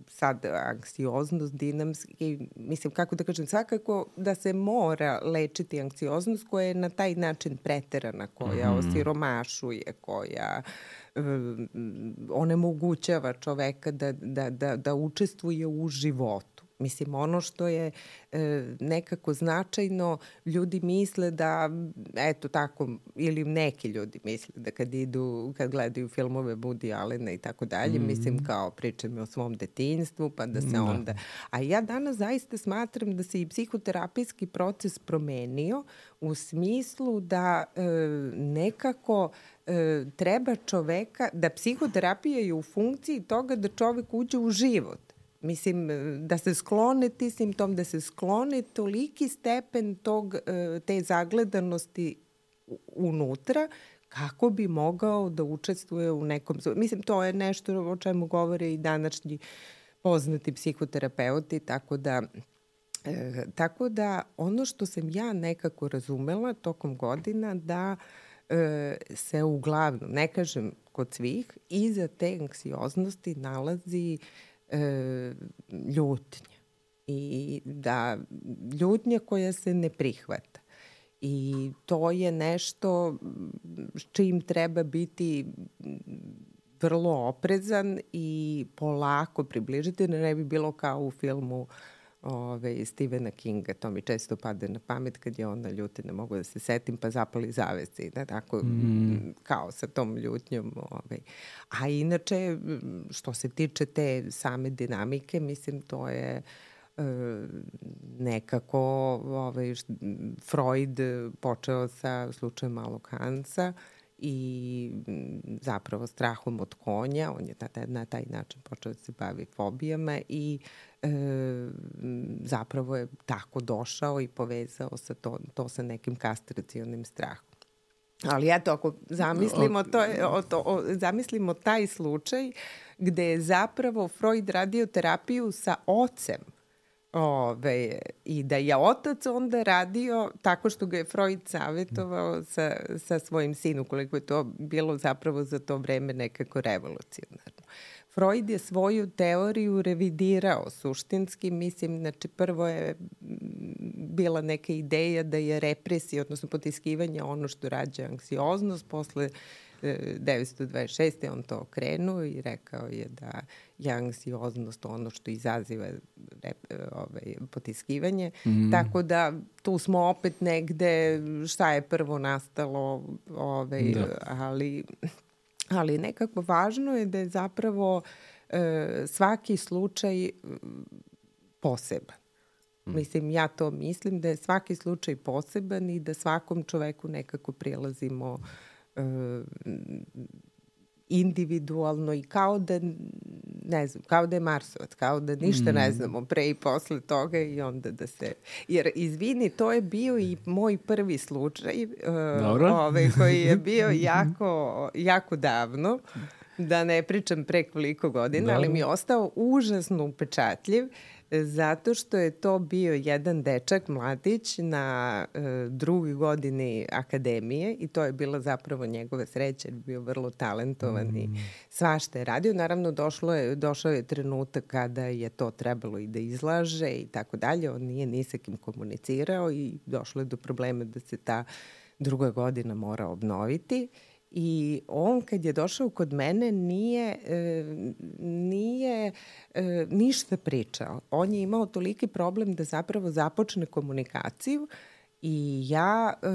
sad anksioznost, dinamski, mislim, kako da kažem, svakako da se mora lečiti anksioznost koja je na taj način preterana, koja mm. osiromašuje, koja uh, onemogućava čoveka da, da, da, da učestvuje u životu. Mislim, ono što je e, nekako značajno, ljudi misle da, eto tako, ili neki ljudi misle da kad idu, kad gledaju filmove Woody Allena i tako dalje, mm. mislim kao pričam o svom detinjstvu, pa da se da. onda... A ja danas zaista smatram da se i psihoterapijski proces promenio u smislu da e, nekako e, treba čoveka, da psihoterapija je u funkciji toga da čovek uđe u život. Mislim, da se sklone ti simptom, da se sklone toliki stepen tog, te zagledanosti unutra, kako bi mogao da učestvuje u nekom... Mislim, to je nešto o čemu govore i današnji poznati psihoterapeuti, tako da... E, tako da ono što sam ja nekako razumela tokom godina da e, se uglavnom, ne kažem kod svih, iza te anksioznosti nalazi E, ljutnja i da ljutnja koja se ne prihvata i to je nešto s čim treba biti vrlo oprezan i polako približiti, da ne bi bilo kao u filmu ove, Stephena Kinga, to mi često pade na pamet kad je ona ljuta, ne mogu da se setim, pa zapali zavese, da, tako, mm. kao sa tom ljutnjom. Ove. A inače, što se tiče te same dinamike, mislim, to je e, nekako ovaj, Freud počeo sa slučajem malog Hansa i zapravo strahom od konja, on je na, na taj način počeo da se bavi fobijama i e, zapravo je tako došao i povezao sa to, to sa nekim kastracionim strahom. Ali eto, ako zamislimo, to je, o, to, o, zamislimo taj slučaj gde je zapravo Freud radio terapiju sa ocem, Ove, i da je otac onda radio tako što ga je Freud savjetovao sa, sa svojim sinom, koliko je to bilo zapravo za to vreme nekako revolucionarno. Freud je svoju teoriju revidirao suštinski, mislim, znači prvo je bila neka ideja da je represija, odnosno potiskivanje ono što rađa anksioznost, posle devetsto dvadeset šeste on to okrenuo i rekao je da je anksioznost ono što izaziva rep, ovaj, potiskivanje. Mm. Tako da tu smo opet negde šta je prvo nastalo, ovaj, ali, ali nekako važno je da je zapravo e, svaki slučaj poseban. Mm. Mislim, ja to mislim da je svaki slučaj poseban i da svakom čoveku nekako prilazimo individualno i kao da ne znam, kao da je Marsovac, kao da ništa mm. ne znamo pre i posle toga i onda da se... Jer, izvini, to je bio i moj prvi slučaj uh, ovaj, koji je bio jako, jako davno, da ne pričam pre koliko godina, Dobro. ali mi je ostao užasno upečatljiv zato što je to bio jedan dečak, mladić, na e, drugoj godini akademije i to je bila zapravo njegova sreća, jer je bio vrlo talentovan mm. i svašta je radio. Naravno, došlo je, došao je trenutak kada je to trebalo i da izlaže i tako dalje. On nije ni sa kim komunicirao i došlo je do problema da se ta druga godina mora obnoviti. I on kad je došao kod mene nije, e, nije e, ništa pričao. On je imao toliki problem da zapravo započne komunikaciju i ja e,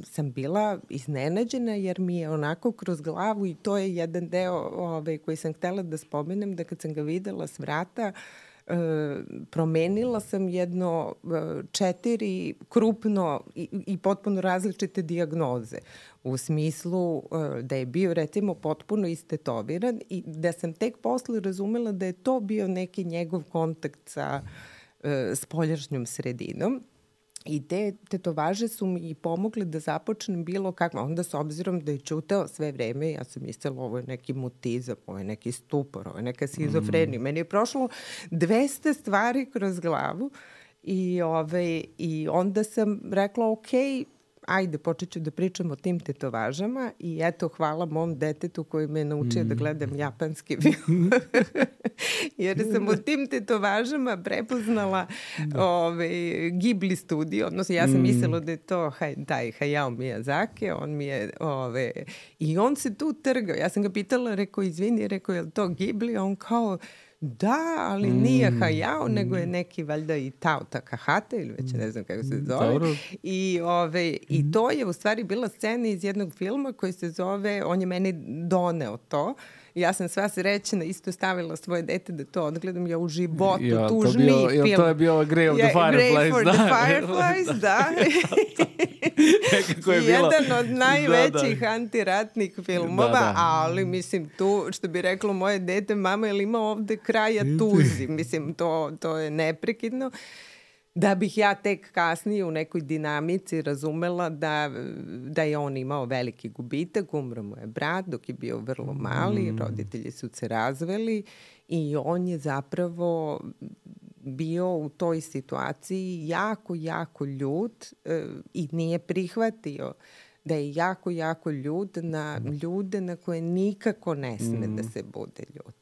sam bila iznenađena jer mi je onako kroz glavu, i to je jedan deo ovaj, koji sam htela da spomenem, da kad sam ga videla s vrata, E, promenila sam jedno e, četiri krupno i, i potpuno različite dijagnoze. U smislu e, da je bio recimo potpuno istetoviran i da sam tek posle razumela da je to bio neki njegov kontakt sa e, spoljašnjom sredinom. I te tetovaže su mi i pomogle da započnem bilo kako. Onda s obzirom da je čutao sve vreme, ja sam mislila ovo je neki mutizam, ovo je neki stupor, ovo je neka schizofrenija. Mm. Meni je prošlo dvesta stvari kroz glavu i, ove, i onda sam rekla ok, ajde, počet ću da pričam o tim tetovažama i eto, hvala mom detetu koji me je naučio mm. da gledam japanski film. Jer sam u tim tetovažama prepoznala ove, Ghibli studio, odnosno ja sam mm. mislila da je to haj, taj Hayao Miyazaki, on mi je, ove, i on se tu trgao. Ja sam ga pitala, rekao, izvini, rekao, je li to Ghibli? On kao, da, ali mm. nije Hayao, mm. nego je neki valjda i Tao Takahata ili već ne znam kako se zove. Dobro. I, ove, mm. I to je u stvari bila scena iz jednog filma koji se zove, on je meni doneo to. Ja sam sva srećena, isto stavila svoje dete da to odgledam. Ja u životu, ja, tužniji bio, film. Ja, to je bio Grey of the Fireflies. Grey for da. the Fireflies, da. je Jedan od najvećih da, da. antiratnih filmova, da, da. ali mislim tu, što bi reklo moje dete, mama, je li ima ovde kraja tuzi? Mislim, to, to je neprekidno. Da bih ja tek kasnije u nekoj dinamici razumela da, da je on imao veliki gubitak, umro mu je brat dok je bio vrlo mali, mm. roditelji su se razveli i on je zapravo bio u toj situaciji jako, jako ljut e, i nije prihvatio da je jako, jako ljut na ljude na koje nikako ne sme mm. da se bude ljut.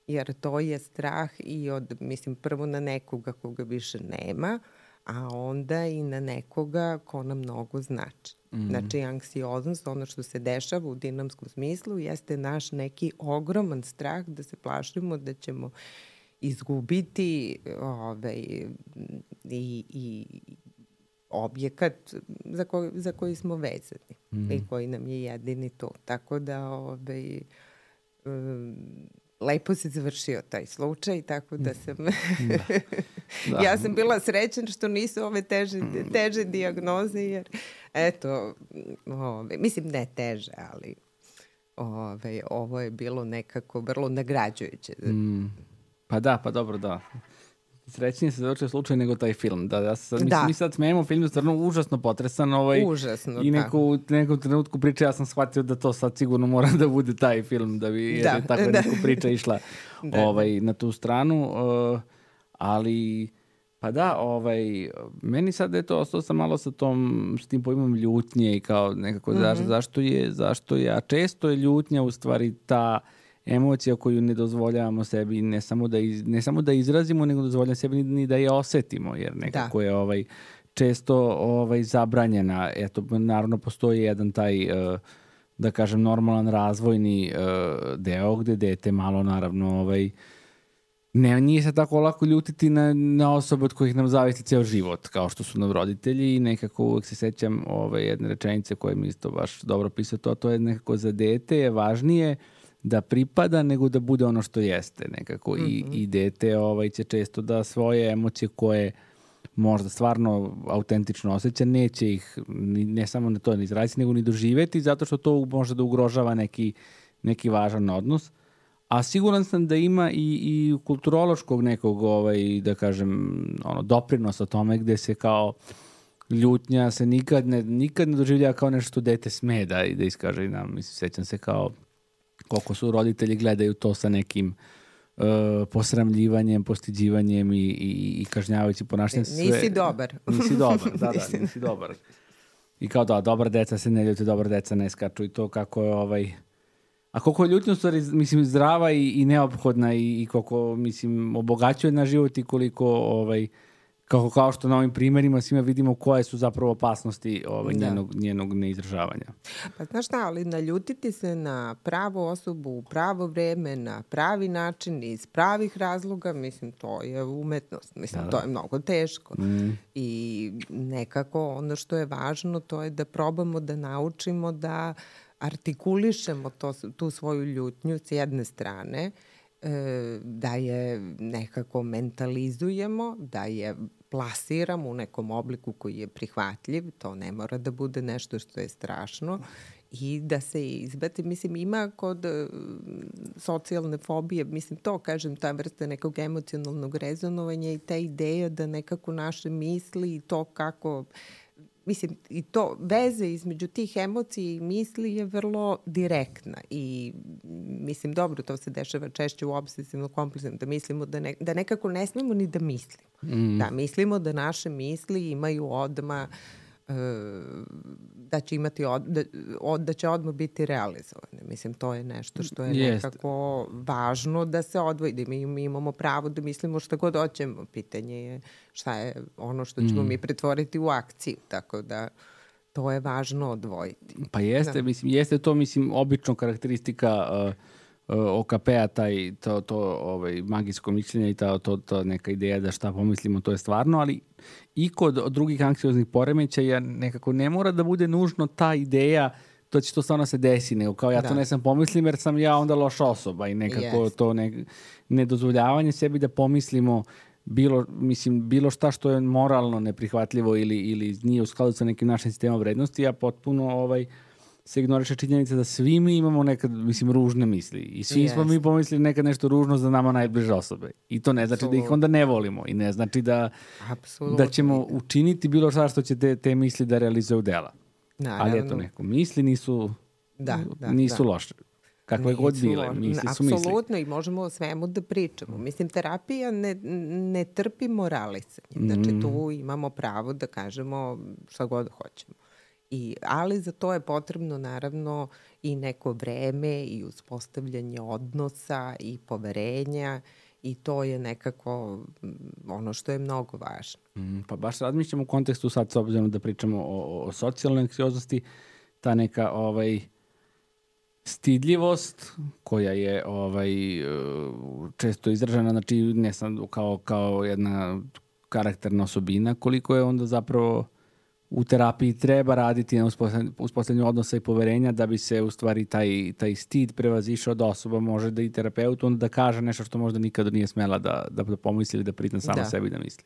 Jer to je strah i od, mislim, prvo na nekoga koga više nema, a onda i na nekoga ko nam mnogo znači. Mm. Znači, anksioznost, ono što se dešava u dinamskom smislu, jeste naš neki ogroman strah da se plašimo da ćemo izgubiti ovaj, i, i objekat za koji, za koji smo vezani mm. i koji nam je jedini to. Tako da ovaj, um, lepo se završio taj slučaj, tako da sam... da. Da. Ja sam bila srećan što nisu ove teže, teže dijagnoze, jer eto, ove, mislim ne teže, ali ove, ovo je bilo nekako vrlo nagrađujuće. Mm. Pa da, pa dobro, da. Srećnije se završio slučaj nego taj film. Da, ja sad, da. Mi sad smijemo, film je stvarno užasno potresan. Ovaj, užasno, i neku, u nekom trenutku priče ja sam shvatio da to sad sigurno mora da bude taj film, da bi jer da. je tako da. neku priča išla da, ovaj, da. na tu stranu. Uh, ali, pa da, ovaj, meni sad je to, ostao sam malo sa tom, s tim pojmom ljutnje i kao nekako mm-hmm. zašto, zašto je, zašto je, a često je ljutnja u stvari ta emocija koju ne dozvoljavamo sebi ne samo da, iz, ne samo da izrazimo, nego dozvoljavamo sebi ni, ni da je osetimo, jer nekako da. je ovaj, često ovaj, zabranjena. Eto, naravno, postoji jedan taj, uh, da kažem, normalan razvojni uh, deo gde dete malo, naravno, ovaj, ne, nije se tako lako ljutiti na, na osobe od kojih nam zavisi ceo život, kao što su nam roditelji i nekako uvek se sećam ove jedne rečenice koje mi isto baš dobro pisao to, to je nekako za dete je važnije da pripada nego da bude ono što jeste nekako. Mm-hmm. I, i dete ovaj, će često da svoje emocije koje možda stvarno autentično osjeća, neće ih ni, ne samo na to ne izraziti, nego ni doživeti, zato što to može da ugrožava neki, neki važan odnos. A siguran sam da ima i, i kulturološkog nekog, ovaj, da kažem, ono, doprinosa tome gde se kao ljutnja se nikad ne, nikad ne doživlja kao nešto što dete sme da, da iskaže. Nam, mislim, sećam se kao koliko su roditelji gledaju to sa nekim uh, posramljivanjem, postiđivanjem i, i, i kažnjavajući ponašanjem. Sve, nisi dobar. Nisi dobar, da, da, nisi dobar. I kao da, dobra deca se ne ljute, dobra deca ne skaču i to kako je ovaj... A koliko je ljutnja stvari, mislim, zdrava i, i neophodna i, i koliko, mislim, obogaćuje na život i koliko, ovaj, Kao, kao što na ovim primjerima svima vidimo koje su zapravo opasnosti ovaj, Da. njenog, njenog neizražavanja. Pa znaš šta, ali naljutiti se na pravu osobu u pravo vreme, na pravi način, iz pravih razloga, mislim, to je umetnost. Mislim, Da, da. to je mnogo teško. Mm. I nekako ono što je važno, to je da probamo da naučimo da artikulišemo to, tu svoju ljutnju s jedne strane, e, da je nekako mentalizujemo, da je plasiramo u nekom obliku koji je prihvatljiv, to ne mora da bude nešto što je strašno, i da se izbati, mislim, ima kod uh, socijalne fobije, mislim, to, kažem, ta vrsta nekog emocionalnog rezonovanja i ta ideja da nekako naše misli i to kako, mislim, i to, veze između tih emocija i misli je vrlo direktna i, mislim, dobro, to se dešava češće u obsesivno kompulsivnom, da mislimo da, ne, da nekako ne smemo ni da mislimo. Mm. Da, mislimo da naše misli imaju odma da će imati od, da, od, da će odmah biti realizovane. Mislim, to je nešto što je Jest. nekako važno da se odvoji, da mi, mi imamo pravo da mislimo šta god hoćemo. Pitanje je šta je ono što ćemo mm. mi pretvoriti u akciju, tako da to je važno odvojiti. Pa jeste, da. mislim, jeste to, mislim, obično karakteristika uh, O K P-a, taj, to, to ovaj, magijsko mišljenje i ta, to, to neka ideja da šta pomislimo, to je stvarno, ali i kod drugih anksioznih poremećaja nekako ne mora da bude nužno ta ideja to će to stvarno se desi, nego kao ja da. to ne sam pomislim jer sam ja onda loša osoba i nekako yes. to ne, nedozvoljavanje sebi da pomislimo bilo, mislim, bilo šta što je moralno neprihvatljivo ili, ili nije u skladu sa nekim našim sistemom vrednosti, a potpuno ovaj, se ignoriše činjenica da svi mi imamo nekad, mislim, ružne misli. I svi yes. smo mi pomislili nekad nešto ružno za nama najbliže osobe. I to ne znači Absolutno. da ih onda ne volimo. I ne znači da, da ćemo učiniti bilo šta što će te, te misli da realizuju dela. Naravno. Ali eto, neko misli nisu, da, da, nisu da. loše. Kakve nisu god bile, misli su misli. Apsolutno, i možemo o svemu da pričamo. Mislim, terapija ne, ne trpi moralisanje. Znači, mm. tu imamo pravo da kažemo šta god hoćemo. I, ali za to je potrebno naravno i neko vreme i uspostavljanje odnosa i poverenja i to je nekako ono što je mnogo važno. Mm, pa baš razmišljamo u kontekstu sad s obzirom da pričamo o, o socijalnoj anksioznosti, ta neka ovaj, stidljivost koja je ovaj, često izražena, znači ne sam kao, kao jedna karakterna osobina, koliko je onda zapravo u terapiji treba raditi na uspostavljanju odnosa i poverenja da bi se u stvari taj, taj stid prevazišao da osoba može da i terapeut onda da kaže nešto što možda nikada nije smela da, da pomisli ili da prizna sama da. sebi da misli.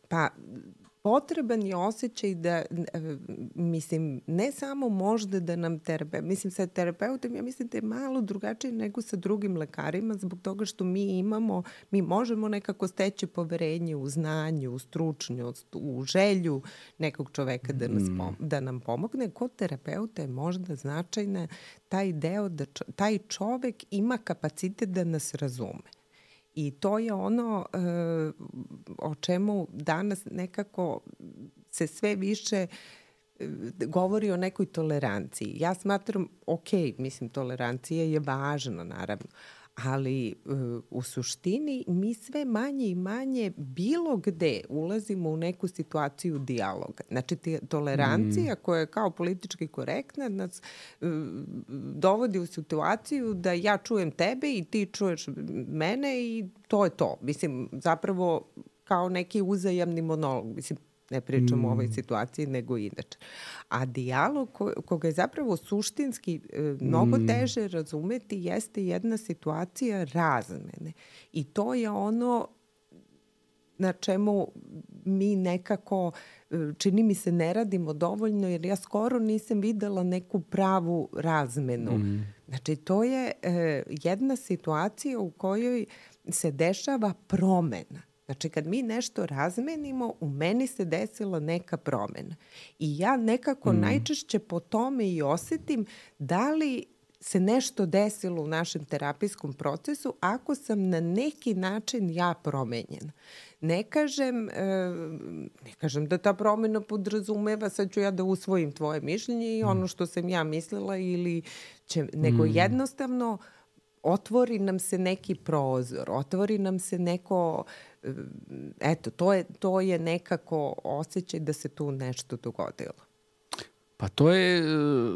Pa potreban je osjećaj da, mislim, ne samo možda da nam terapeut, mislim sa terapeutom, ja mislim da je malo drugačije nego sa drugim lekarima zbog toga što mi imamo, mi možemo nekako steći poverenje u znanju, u stručnost, u želju nekog čoveka da, nas pom- da nam pomogne. Kod terapeuta je možda značajna taj deo da čo- taj čovek ima kapacitet da nas razume. I to je ono e, o čemu danas nekako se sve više e, govori o nekoj toleranciji. Ja smatram, ok, mislim, tolerancija je važna, naravno, ali e, u suštini mi sve manje i manje bilo gde ulazimo u neku situaciju dijaloga. Znači, tolerancija mm. koja je kao politički korektna nas e, dovodi u situaciju da ja čujem tebe i ti čuješ mene i to je to. Mislim, zapravo kao neki uzajamni monolog. Mislim, ne pričamo mm. o ovoj situaciji, nego inače. A dijalog ko, koga je zapravo suštinski e, mnogo mm. teže razumeti jeste jedna situacija razmene. I to je ono na čemu mi nekako, čini mi se, ne radimo dovoljno, jer ja skoro nisam videla neku pravu razmenu. Mm. Znači, to je e, jedna situacija u kojoj se dešava promena. Znači, kad mi nešto razmenimo, u meni se desila neka promena. I ja nekako mm. najčešće po tome i osetim da li se nešto desilo u našem terapijskom procesu ako sam na neki način ja promenjena. Ne kažem, ne kažem da ta promena podrazumeva sad ću ja da usvojim tvoje mišljenje i ono što sam ja mislila ili će, nego mm. jednostavno otvori nam se neki prozor, otvori nam se neko eto, to je, to je nekako osjećaj da se tu nešto dogodilo. Pa to je,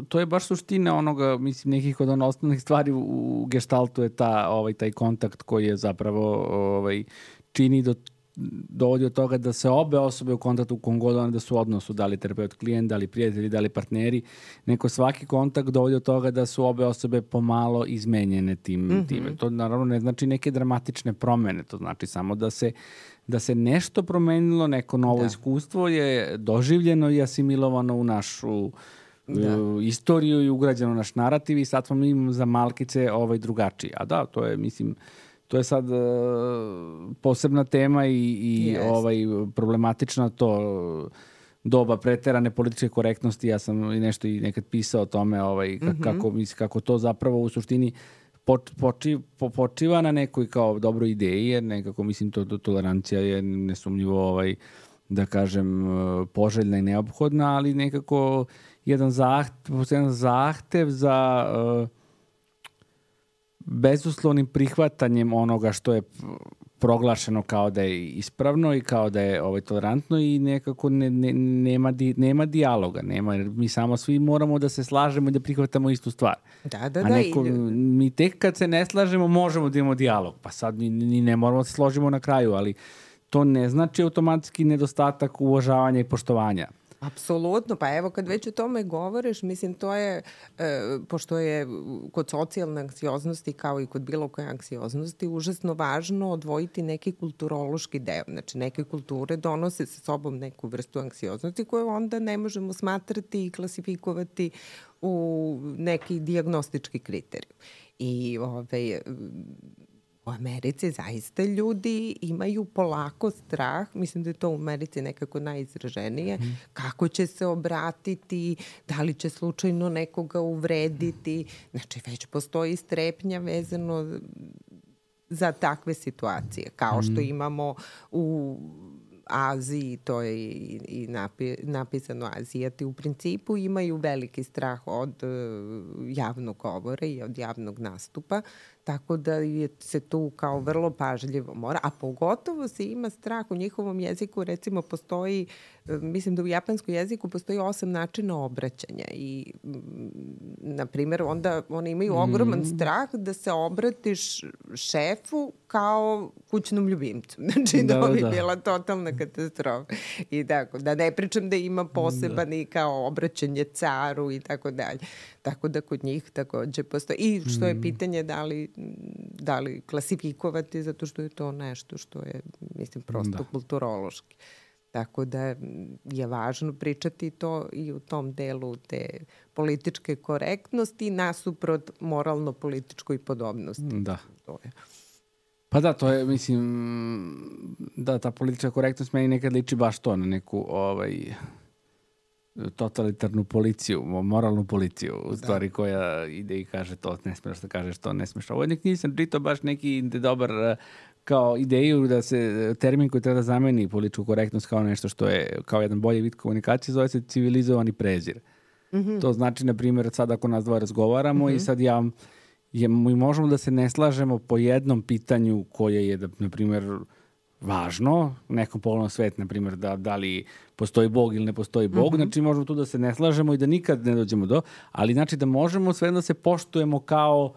to je baš suština onoga, mislim, nekih od ono osnovnih stvari u, u gestaltu je ta, ovaj, taj kontakt koji je zapravo ovaj, čini do dovodi od toga da se obe osobe u kontaktu, u kom god one da su u odnosu, da li terapeut klijent, da li prijatelji, da li partneri, neko svaki kontakt dovodi od toga da su obe osobe pomalo izmenjene tim, mm-hmm. time. To naravno ne znači neke dramatične promene, to znači samo da se, da se nešto promenilo, neko novo da. iskustvo je doživljeno i asimilovano u našu da. uh, istoriju i ugrađeno u naš narativ i sad smo mi za malkice ovaj, drugačiji. A da, to je, mislim, to je sad uh, posebna tema i, i yes. ovaj, problematična to doba preterane političke korektnosti. Ja sam i nešto i nekad pisao o tome ovaj, kako, mm-hmm. kako, mislim, kako to zapravo u suštini poči, po, počiva na nekoj kao dobroj ideji, jer nekako mislim to, to tolerancija je nesumnjivo ovaj, da kažem poželjna i neophodna, ali nekako jedan zahtev, jedan zahtev za uh, bezuslovnim prihvatanjem onoga što je proglašeno kao da je ispravno i kao da je ovaj, tolerantno i nekako ne, ne, nema, di, nema dijaloga. Nema, mi samo svi moramo da se slažemo i da prihvatamo istu stvar. Da, da, A da. neko, mi tek kad se ne slažemo možemo da imamo dijalog. Pa sad ni, ni ne moramo da se složimo na kraju, ali to ne znači automatski nedostatak uvažavanja i poštovanja. Apsolutno, pa evo kad već o tome govoriš, mislim to je, e, pošto je kod socijalne anksioznosti kao i kod bilo koje anksioznosti užasno važno odvojiti neki kulturološki deo. Znači neke kulture donose sa sobom neku vrstu anksioznosti koju onda ne možemo smatrati i klasifikovati u neki dijagnostički kriterijum. I ovaj... U Americi zaista ljudi imaju polako strah, mislim da je to u Americi nekako najizraženije, mm. kako će se obratiti, da li će slučajno nekoga uvrediti. Znači već postoji strepnja vezano za takve situacije, kao što imamo u Aziji, to je i, i napi, napisano Azijati u principu imaju veliki strah od uh, javnog govora i od javnog nastupa, tako da je se tu kao vrlo pažljivo mora, a pogotovo se ima strah u njihovom jeziku, recimo postoji, mislim da u japanskom jeziku postoji osam načina obraćanja i na primjer onda oni imaju ogroman mm. strah da se obratiš šefu kao kućnom ljubimcu. Znači da, da bi da. bila totalna katastrofa. I tako, da ne pričam da ima poseban da. i kao obraćanje caru i tako dalje. Tako da kod njih takođe postoji. I što je pitanje da li, da li klasifikovati, zato što je to nešto što je, mislim, prosto da. kulturološki. Tako da je važno pričati to i u tom delu te političke korektnosti nasuprot moralno-političkoj podobnosti. Da. To je. Pa da, to je, mislim, da, ta politička korektnost meni nekad liči baš to na neku, ovaj, totalitarnu policiju, moralnu policiju, u stvari da. koja ide i kaže to ne smeš da kažeš, to ne smeš. Ovo nek nisam čitao baš neki dobar kao ideju da se termin koji treba da zameni političku korektnost kao nešto što je kao jedan bolji vid komunikacije zove se civilizovani prezir. Mm-hmm. To znači, na primjer, sad ako nas dva razgovaramo mm-hmm. i sad ja je, mi možemo da se ne slažemo po jednom pitanju koje je, da, na primjer, važno, nekom pogledom svet, na primjer, da, da li postoji Bog ili ne postoji Bog, mm-hmm. znači možemo tu da se ne slažemo i da nikad ne dođemo do, ali znači da možemo sve da se poštujemo kao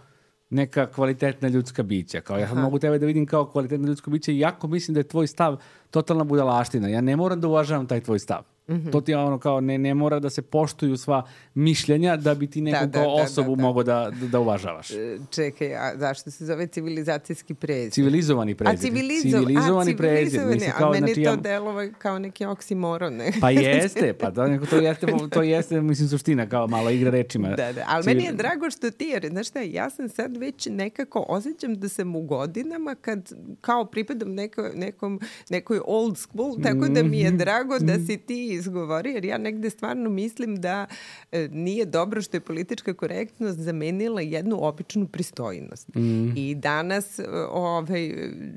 neka kvalitetna ljudska bića. Kao ja sad mogu tebe da vidim kao kvalitetna ljudsko biće, iako mislim da je tvoj stav totalna budalaština. Ja ne moram da uvažavam taj tvoj stav. Mm-hmm. To ti je ono kao ne, ne mora da se poštuju sva mišljenja da bi ti neku da, kao da, osobu da, da, da. mogao da, da uvažavaš. Čekaj, a zašto se zove civilizacijski prezir? Civilizovani prezir. A civilizo... civilizovani a, prezir. Mislim, kao, a meni znači, to ja... delova kao neki oksimoron. Ne? Pa jeste, pa da, neko to jeste, to jeste, mislim, suština, kao malo igra rečima. Da, da, ali Civil... meni je drago što ti, jer, znaš šta, ja sam sad već nekako osjećam da sam u godinama kad kao pripadam neko, nekom, nekoj old school, tako da mi je drago da si ti izgovori, jer ja negde stvarno mislim da e, nije dobro što je politička korektnost zamenila jednu običnu pristojnost. Mm. I danas ovaj,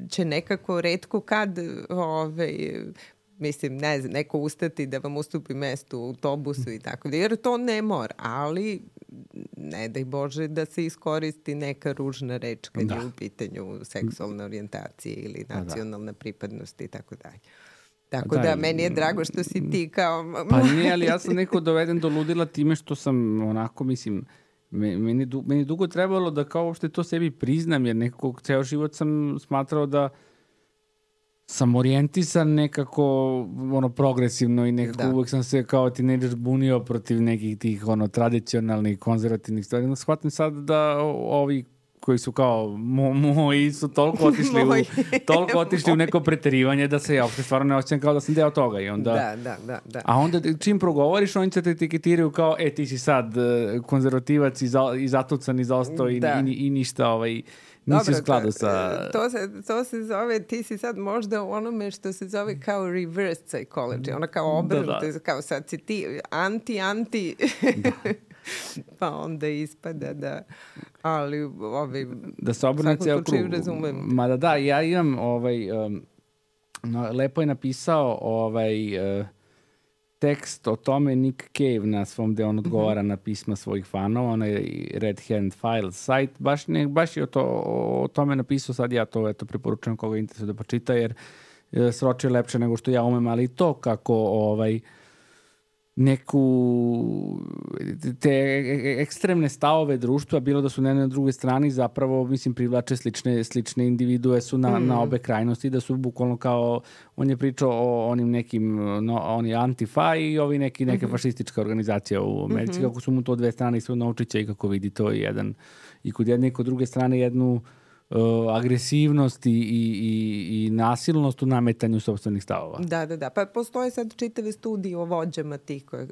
će nekako retko kad ovaj, mislim, ne znam, neko ustati da vam ustupi mesto u autobusu i tako da, jer to ne mora, ali ne daj Bože da se iskoristi neka ružna reč kad da. je u pitanju seksualna orijentacija ili nacionalna da. pripadnost i tako dalje. Tako da, da meni je drago što si ti kao... Pa nije, ali ja sam neko doveden do ludila time što sam onako, mislim, meni, du, meni dugo trebalo da kao uopšte to sebi priznam, jer nekako ceo život sam smatrao da sam orijentisan nekako ono progresivno i nekako da. uvek sam se kao tinejdžer bunio protiv nekih tih ono tradicionalnih, konzervativnih stvari. No, shvatim sad da ovi koji su kao mo, moji su toliko otišli, u, toliko otišli u neko preterivanje da se ja uopšte stvarno ne osjećam kao da sam deo toga. I onda, da, da, da, da. A onda čim progovoriš, oni će te etiketiraju kao, e, ti si sad konzervativac i, za, i zatucan i zaostao i, i, i ništa ovaj... Nisi u skladu sa... To se, to se zove, ti si sad možda u onome što se zove kao reverse psychology, ona kao obrnuto, da, da. kao sad si ti anti-anti, da. pa onda ispada da, ali ovaj, da se obrne ceo krug. Razumem. Ma da, da, ja imam, ovaj, um, no, lepo je napisao ovaj... Uh, tekst o tome Nick Cave na svom gde on odgovara mm-hmm. na pisma svojih fanova, onaj Red Hand Files site, baš, ne, baš je o, to, o tome napisao, sad ja to eto, preporučujem koga interesuje da počita, jer je sročio lepše nego što ja umem, ali to kako ovaj, neku te ekstremne stavove društva, bilo da su na jednoj drugoj strani, zapravo, mislim, privlače slične, slične individue su na, mm. na obe krajnosti, da su bukvalno kao, on je pričao o onim nekim, no, on je Antifa i ovi neki, neke mm-hmm. fašistička organizacija u Americi, mm-hmm. kako su mu to dve strane i sve novčića i kako vidi to i jedan, i kod jedne i kod druge strane jednu Uh, agresivnost i, i, i, i nasilnost u nametanju sopstvenih stavova. Da, da, da. Pa postoje sad čitave studije o vođama tih koje,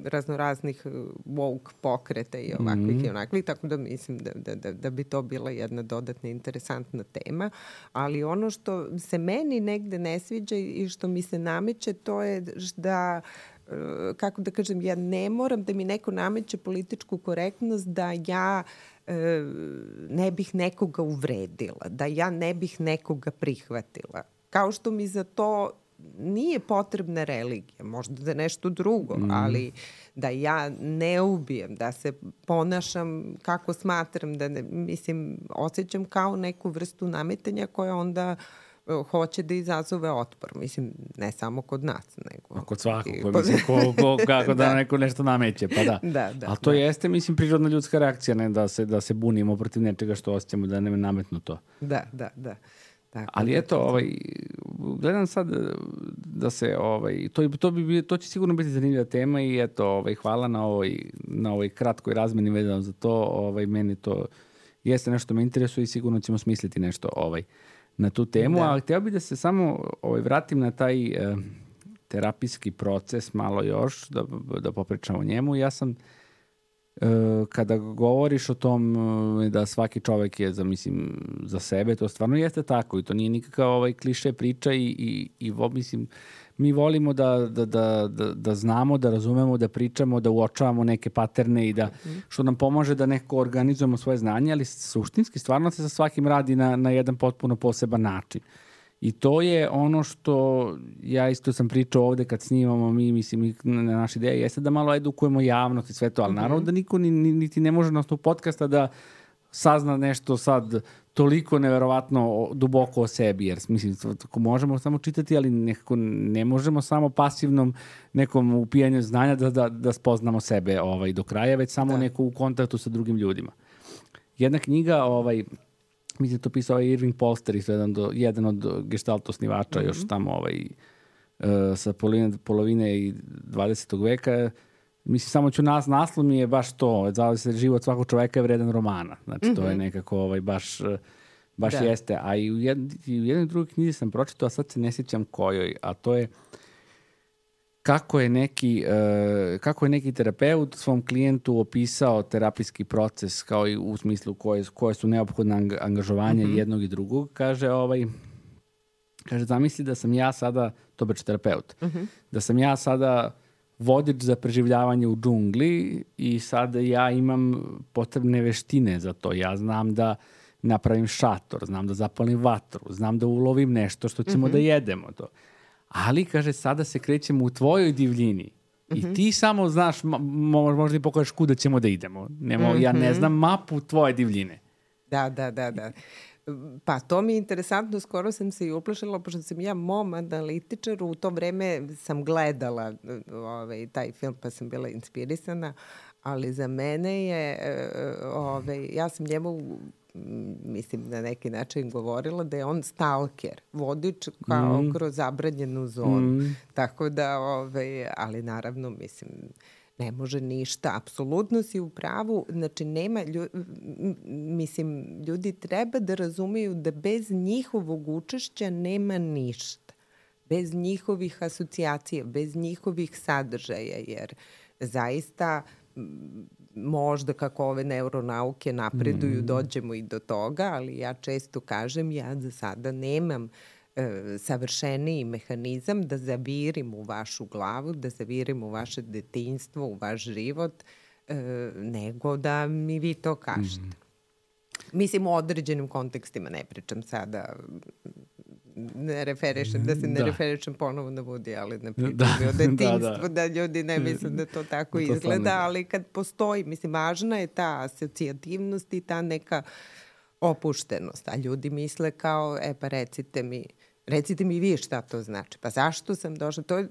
raznoraznih woke pokreta i ovakvih mm. i onakvih, tako da mislim da, da, da, da bi to bila jedna dodatna interesantna tema. Ali ono što se meni negde ne sviđa i što mi se nameće, to je da kako da kažem, ja ne moram da mi neko nameće političku korektnost da ja ne bih nekoga uvredila, da ja ne bih nekoga prihvatila. Kao što mi za to nije potrebna religija, možda da nešto drugo, mm. ali da ja ne ubijem, da se ponašam kako smatram, da ne, mislim, osjećam kao neku vrstu nametanja koja onda hoće da izazove otpor. Mislim, ne samo kod nas, nego... A kod svakog, ko, mislim, ko, ko, kako da, da neko nešto nameće, pa da. da, da Ali to da. jeste, mislim, prirodna ljudska reakcija, ne da se, da se bunimo protiv nečega što osjećamo, da ne nametnu to. Da, da, da. Tako, ali eto, ovaj, gledam sad da se, ovaj, to, to, bi, to će sigurno biti zanimljiva tema i eto, ovaj, hvala na ovoj, na ovoj kratkoj razmeni vezano za to, ovaj, meni to jeste nešto me interesuje i sigurno ćemo smisliti nešto ovaj, na tu temu, da. Ali htio bih da se samo ovaj, vratim na taj eh, terapijski proces malo još, da, da popričamo o njemu. Ja sam, eh, kada govoriš o tom eh, da svaki čovek je za, mislim, za sebe, to stvarno jeste tako i to nije nikakav ovaj, kliše priča i, i, i mislim, mi volimo da, da, da, da, da znamo, da razumemo, da pričamo, da uočavamo neke paterne i da, što nam pomože da neko organizujemo svoje znanje, ali suštinski stvarno se sa svakim radi na, na jedan potpuno poseban način. I to je ono što ja isto sam pričao ovde kad snimamo mi, mislim, na naša ideja jeste da malo edukujemo javnost i sve to, ali mm-hmm. naravno da niko ni, ni, niti ne može na osnovu podcasta da sazna nešto sad toliko neverovatno duboko o sebi, jer mislim, možemo samo čitati, ali nekako ne možemo samo pasivnom nekom upijanju znanja da, da, da spoznamo sebe ovaj, do kraja, već samo da. Neko u kontaktu sa drugim ljudima. Jedna knjiga, ovaj, mislim, to pisao je Irving Polster, jedan, do, jedan od gestalt osnivača, mm-hmm. još tamo ovaj, uh, sa polovine, polovine i dvadesetog veka. Mislim, samo ću nas, naslov mi je baš to, zavljaju se život svakog čoveka je vredan romana. Znači, mm-hmm. to je nekako ovaj, baš, baš da. Jeste. A i u, jed, i u jednoj drugoj knjizi sam pročitao, a sad se ne sjećam kojoj, a to je kako je neki, uh, kako je neki terapeut svom klijentu opisao terapijski proces, kao i u smislu koje, koje su neophodne angažovanja mm-hmm. jednog i drugog. Kaže, ovaj, kaže, zamisli da sam ja sada, to beč terapeut, mm-hmm. da sam ja sada vodič za preživljavanje u džungli i sada ja imam potrebne veštine za to. Ja znam da napravim šator, znam da zapalim vatru, znam da ulovim nešto što ćemo mm-hmm. da jedemo to. Ali, kaže, sada se krećemo u tvojoj divljini I ti samo znaš, mo, možda i pokažeš kuda ćemo da idemo. Nemo, mm-hmm. Ja ne znam mapu tvoje divljine. Da, da, da, da. Pa to mi je interesantno, skoro sam se i uplašila, pošto sam ja mom analitičaru, u to vreme sam gledala ovaj, taj film pa sam bila inspirisana, ali za mene je, ovaj, ja sam njemu, mislim, na neki način govorila da je on stalker, vodič kao mm. kroz zabranjenu zonu. Mm. Tako da, ovaj, ali naravno, mislim, ne može ništa. Apsolutno si u pravu. Znači, nema, lju, mislim, ljudi treba da razumeju da bez njihovog učešća nema ništa. Bez njihovih asocijacija, bez njihovih sadržaja, jer zaista možda kako ove neuronauke napreduju, mm. dođemo i do toga, ali ja često kažem, ja za sada nemam e, savršeniji mehanizam da zavirim u vašu glavu, da zavirim u vaše detinjstvo, u vaš život, e, nego da mi vi to kažete. Mm. Mislim, u određenim kontekstima, ne pričam sada, ne referišem, da se ne da. referišem ponovo na Woody, ali ne pričam da. o detinjstvu, da, da. da ljudi ne misle da to tako da to izgleda, ali kad postoji, mislim, važna je ta asocijativnost i ta neka opuštenost, a ljudi misle kao, e pa recite mi, recite mi vi šta to znači, pa zašto sam došla, to je,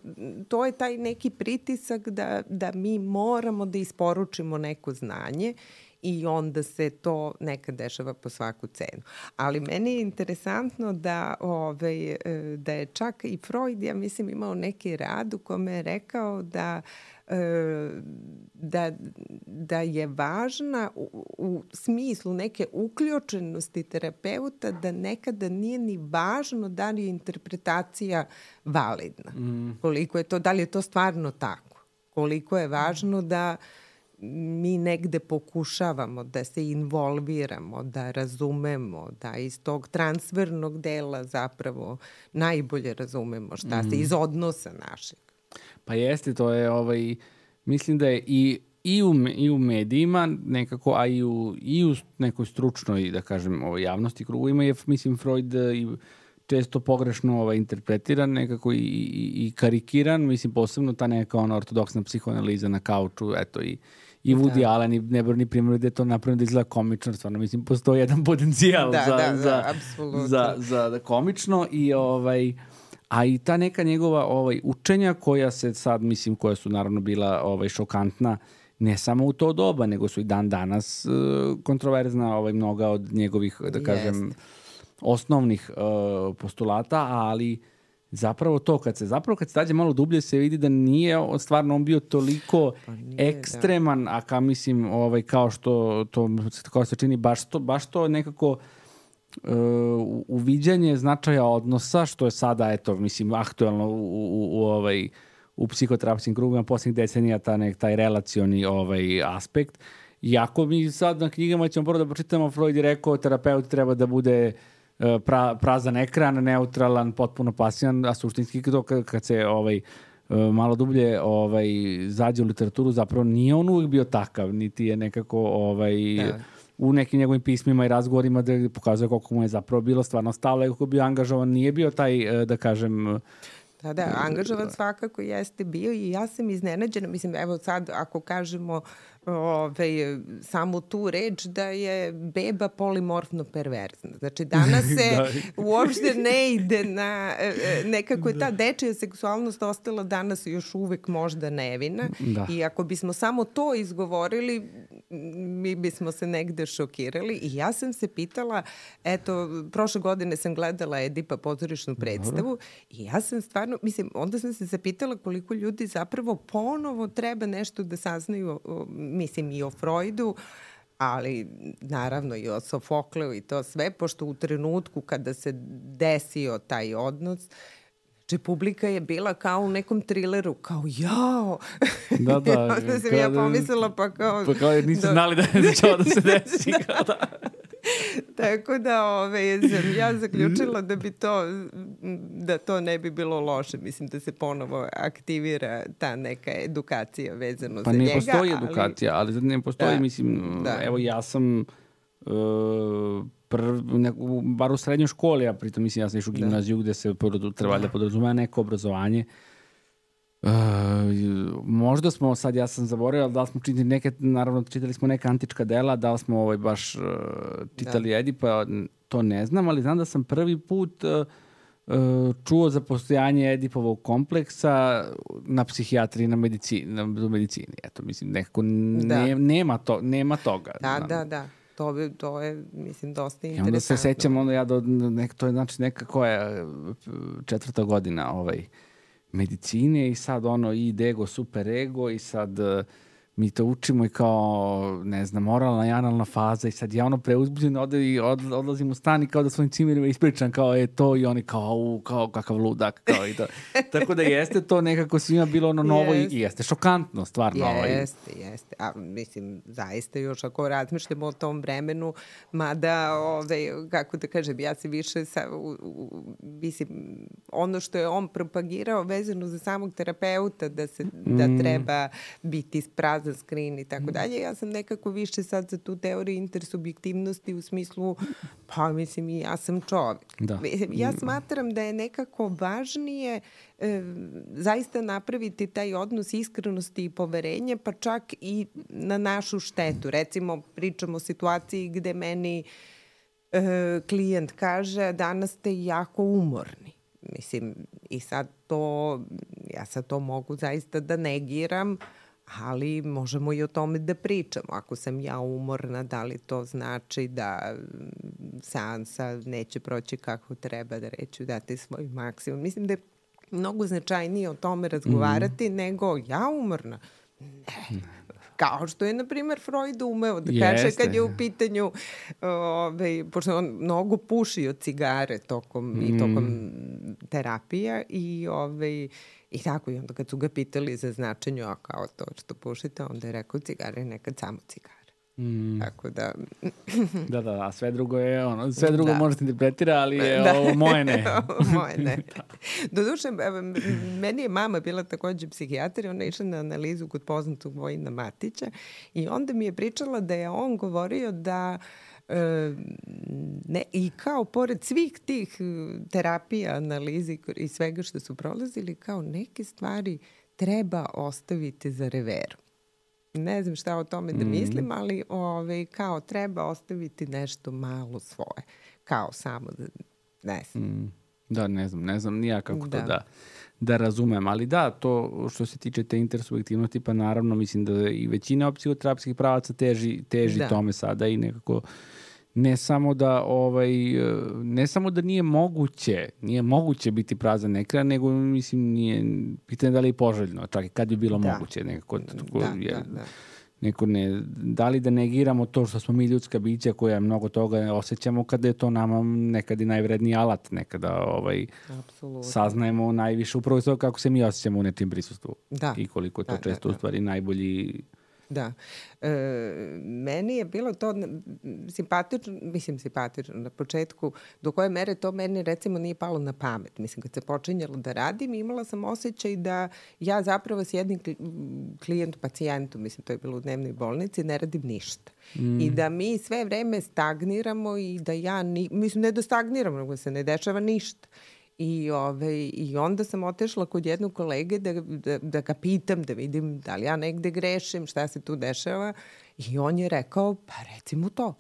to je taj neki pritisak da, da mi moramo da isporučimo neko znanje i onda se to nekad dešava po svaku cenu. Ali meni je interesantno da, ovaj, da je čak i Freud, ja mislim, imao neki rad u kome je rekao da, da, da je važna u, u smislu neke uključenosti terapeuta da nekada nije ni važno da li je interpretacija validna. Mm. Koliko je to, da li je to stvarno tako? Koliko je važno da mi negde pokušavamo da se involviramo, da razumemo, da iz tog transfernog dela zapravo najbolje razumemo šta mm. se iz odnosa našeg. Pa jeste, to je, ovaj, mislim da je i, i, u, i u medijima nekako, a i u, i u nekoj stručnoj, da kažem, ovaj, javnosti krugovima je, mislim, Freud i često pogrešno ovaj, interpretiran, nekako i, i, i karikiran, mislim, posebno ta neka ona ortodoksna psihoanaliza na kauču, eto, i I Woody da. Allen i nebrojni primjer da je to napravljeno da izgleda komično, stvarno, mislim, postoji jedan potencijal da, za, da, za, da, za, za, za komično i ovaj, a i ta neka njegova ovaj, učenja koja se sad, mislim, koja su naravno bila ovaj, šokantna, ne samo u to doba, nego su i dan danas uh, kontroverzna ovaj, mnoga od njegovih, da kažem, Jest. osnovnih uh, postulata, ali zapravo to, kad se zapravo kad se dađe malo dublje se vidi da nije stvarno on bio toliko pa nije, ekstreman, da. a ka mislim ovaj, kao što to kao se čini baš to, baš to nekako uh, uviđanje značaja odnosa, što je sada, eto, mislim, aktuelno u, u, u, ovaj, u psihoterapijskim krugovima posljednjih decenija, ta nek, taj relacioni ovaj, aspekt. Iako mi sad na knjigama ćemo prvo da pročitamo, Freud je rekao terapeut treba da bude Pra, prazan ekran, neutralan, potpuno pasivan, a suštinski to kad, kad se ovaj, malo dublje ovaj, zađe u literaturu, zapravo nije on uvijek bio takav, niti je nekako ovaj, da. u nekim njegovim pismima i razgovorima da pokazuje koliko mu je zapravo bilo stvarno stalo, kako bio angažovan, nije bio taj, da kažem... Da, da, angažovan svakako jeste bio i ja sam iznenađena, mislim, evo sad ako kažemo ove, samo tu reč da je beba polimorfno perverzna. Znači danas se da. uopšte ne ide na, nekako je ta dečija seksualnost ostala danas još uvek možda nevina da. i ako bismo samo to izgovorili, mi bismo se negde šokirali i ja sam se pitala, eto, prošle godine sam gledala Edipa pozorišnu predstavu i ja sam stvarno, mislim, onda sam se zapitala koliko ljudi zapravo ponovo treba nešto da saznaju, mislim, i o Freudu, ali naravno i o Sofokleu i to sve, pošto u trenutku kada se desio taj odnos, znači publika je bila kao u nekom trileru, kao jao. Da, da. Onda sam ja pomislila pa kao... Pa kao jer nisu da, znali da je začao da se desi. Kao da. Tako da ove, sam ja zaključila da bi to, da to ne bi bilo loše. Mislim da se ponovo aktivira ta neka edukacija vezano pa za njega. Pa ne postoji ali... edukacija, ali ne postoji, da, mislim, da. evo ja sam... Uh, Prv, ne, bar u srednjoj školi, a pritom mislim ja sam išao u gimnaziju da. gde se trebalo da podrazumeva neko obrazovanje. Uh, možda smo, sad ja sam zaboravio, da li smo čitali neke, naravno čitali smo neka antička dela, da li smo ovaj baš uh, čitali da. Edipa, to ne znam, ali znam da sam prvi put uh, uh, čuo za postojanje Edipovog kompleksa na psihijatriji, na medicini, na medicini. Eto, mislim, nekako ne, da. nema, to, nema toga. Da, znam. da, da. To, bi, to je, mislim, dosta interesantno. I onda se sećam, onda ja do, nek, to je znači neka koja četvrta godina ovaj, medicine i sad ono i ego, super ego i sad uh, mi to učimo i kao, ne znam, moralna i analna faza i sad ja ono preuzbuđen ode i od, odlazim u stan i kao da svojim cimerima ispričam kao je to i oni kao, u, kao kakav ludak kao i to. Tako da jeste to nekako svima bilo ono novo yes. i, i jeste šokantno stvarno. Jeste, ovaj. jeste. A mislim, zaista još ako razmišljamo o tom vremenu, mada, ove, kako da kažem, ja se više, sa, u, u, mislim, ono što je on propagirao vezano za samog terapeuta, da, se, mm. da treba biti prazan skrin i tako dalje. Ja sam nekako više sad za tu teoriju intersubjektivnosti u smislu, pa mislim i ja sam čovjek. Da. Ja smatram da je nekako važnije e, zaista napraviti taj odnos iskrenosti i poverenja, pa čak i na našu štetu. Recimo, pričamo o situaciji gde meni e, klijent kaže danas ste jako umorni. Mislim, i sad to, ja sad to mogu zaista da negiram, ali možemo i o tome da pričamo. Ako sam ja umorna, da li to znači da seansa neće proći kako treba, da reću dati svoj maksimum. Mislim da je mnogo značajnije o tome razgovarati mm. nego ja umorna. Ne. Kao što je, na primjer, Freud umeo da kaže Jeste. kad je u pitanju, ove, pošto on mnogo pušio cigare tokom, mm. i tokom terapija i ove, i tako, i onda kad su ga pitali za značenje, a kao to što pušite, onda je rekao cigare nekad samo cigare. Mm. Tako da... da, da, a sve drugo je ono, sve drugo da. možete interpretira, ali je da. ovo moje ne. moje ne. Doduše, meni je mama bila takođe psihijatar i ona je išla na analizu kod poznatog Vojina Matića i onda mi je pričala da je on govorio da E, ne, i kao pored svih tih terapija, analizi i svega što su prolazili, kao neke stvari treba ostaviti za reveru. Ne znam šta o tome da mislim, ali ove, kao treba ostaviti nešto malo svoje. Kao samo da, ne znam. Mm. Da, ne znam, ne znam nija kako da. to da, da razumem. Ali da, to što se tiče te intersubjektivnosti, pa naravno mislim da i većina psihoterapijskih pravaca teži, teži da. tome sada i nekako ne samo da ovaj ne samo da nije moguće, nije moguće biti prazan ekran, nego mislim nije pitanje da li je poželjno, čak i kad bi bilo da. moguće nekako tako, da, je, da, da. Neko ne, da li da negiramo to što smo mi ljudska bića koja mnogo toga osjećamo kada je to nama nekad i najvredniji alat, nekada ovaj, saznajemo najviše upravo to kako se mi osjećamo u nečim prisustvu da. i koliko to da, često da, da. u stvari najbolji. Da. E, meni je bilo to simpatično, mislim simpatično na početku, do koje mere to meni recimo nije palo na pamet. Mislim, kad se počinjalo da radim, imala sam osjećaj da ja zapravo s jednim klijentu, pacijentu, mislim, to je bilo u dnevnoj bolnici, ne radim ništa. Mm. I da mi sve vreme stagniramo i da ja, ni, mislim, ne da stagniramo, nego se ne dešava ništa. I, ove, I onda sam otešla kod jednog kolege da, da, da ga pitam, da vidim da li ja negde grešim, šta se tu dešava. I on je rekao, pa recimo to.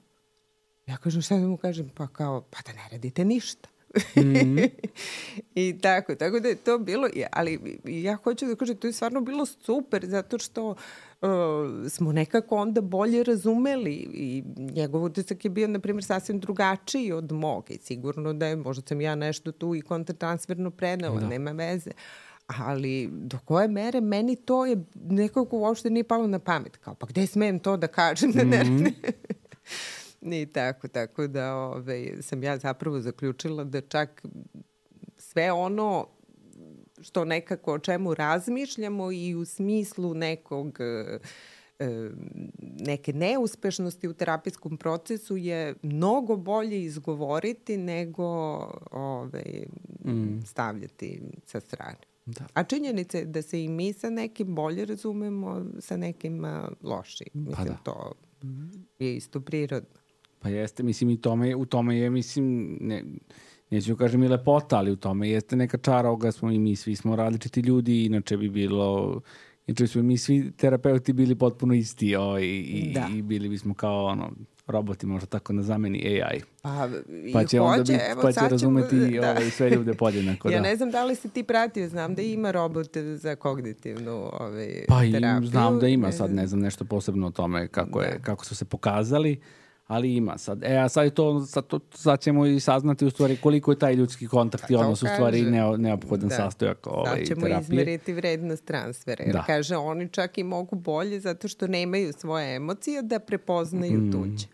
Ja kažem, šta da mu kažem? Pa kao, pa da ne radite ništa. Mm-hmm. I tako, tako da je to bilo, ali ja hoću da kažem, to je stvarno bilo super, zato što uh, smo nekako onda bolje razumeli i njegov utisak je bio, na primjer, sasvim drugačiji od mog i sigurno da je, možda sam ja nešto tu i kontratransferno prenela, da. nema veze. Ali do koje mere meni to je nekako uopšte nije palo na pamet. Kao, pa gde smem to da kažem? Mm-hmm. I tako, tako da ove, sam ja zapravo zaključila da čak sve ono što nekako o čemu razmišljamo i u smislu nekog e, neke neuspešnosti u terapijskom procesu je mnogo bolje izgovoriti nego ove, mm. stavljati sa strane. Da. A činjenica je da se i mi sa nekim bolje razumemo, sa nekim lošiji. Mislim, pa da. to je isto prirodno. Pa jeste, mislim, i tome, u tome je, mislim, ne, neću kažem i lepota, ali u tome jeste neka čara ovoga smo i mi, svi smo različiti ljudi, inače bi bilo Znači smo mi svi terapeuti bili potpuno isti ovaj, i, Da. i bili bismo kao ono, roboti, možda tako na zameni A I. Pa, Pa će, onda hoće, biti, evo, pa će sad ćemo- razumeti da. ovaj, sve ljude podjednako. Ja da. ne znam da li si ti pratio, znam da ima robot za kognitivnu ovaj, Pa i terapiju. znam da ima, sad ne znam nešto posebno o tome kako, je, Da. kako su se pokazali, ali ima sad. E, a sad, je to, sad, to, sad ćemo i saznati u stvari koliko je taj ljudski kontakt i Pa to odnos u stvari kaže. neo, neophodan Da. sastojak ovaj, Sad ćemo terapije. izmeriti vrednost transfera. Jer Da. kaže, oni čak i mogu bolje zato što nemaju svoje emocije da prepoznaju Mm. tuđe.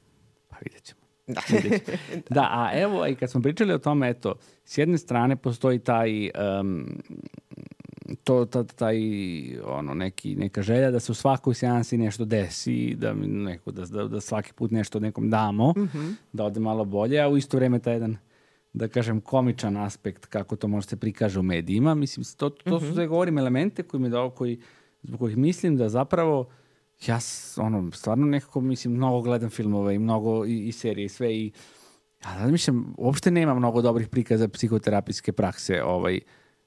Pa vidjet ćemo. Da. Vidjet ćemo. Da, a evo, i kad smo pričali o tome, eto, s jedne strane postoji taj, um, to, ta, taj, ono, neki, neka želja da se u svakoj seansi nešto desi, da, mi neko, da, da, da svaki put nešto nekom damo, Mhm. da ode malo bolje, a u isto vreme taj jedan, da kažem, komičan aspekt kako to može se prikaže u medijima. Mislim, to, to su sve govorim elemente koji mi da, koji, zbog kojih mislim da zapravo ja s- ono, stvarno nekako, mislim, mnogo gledam filmove i mnogo i, i serije i sve i ja razmišljam, uopšte nema mnogo dobrih prikaza psihoterapijske prakse ovaj,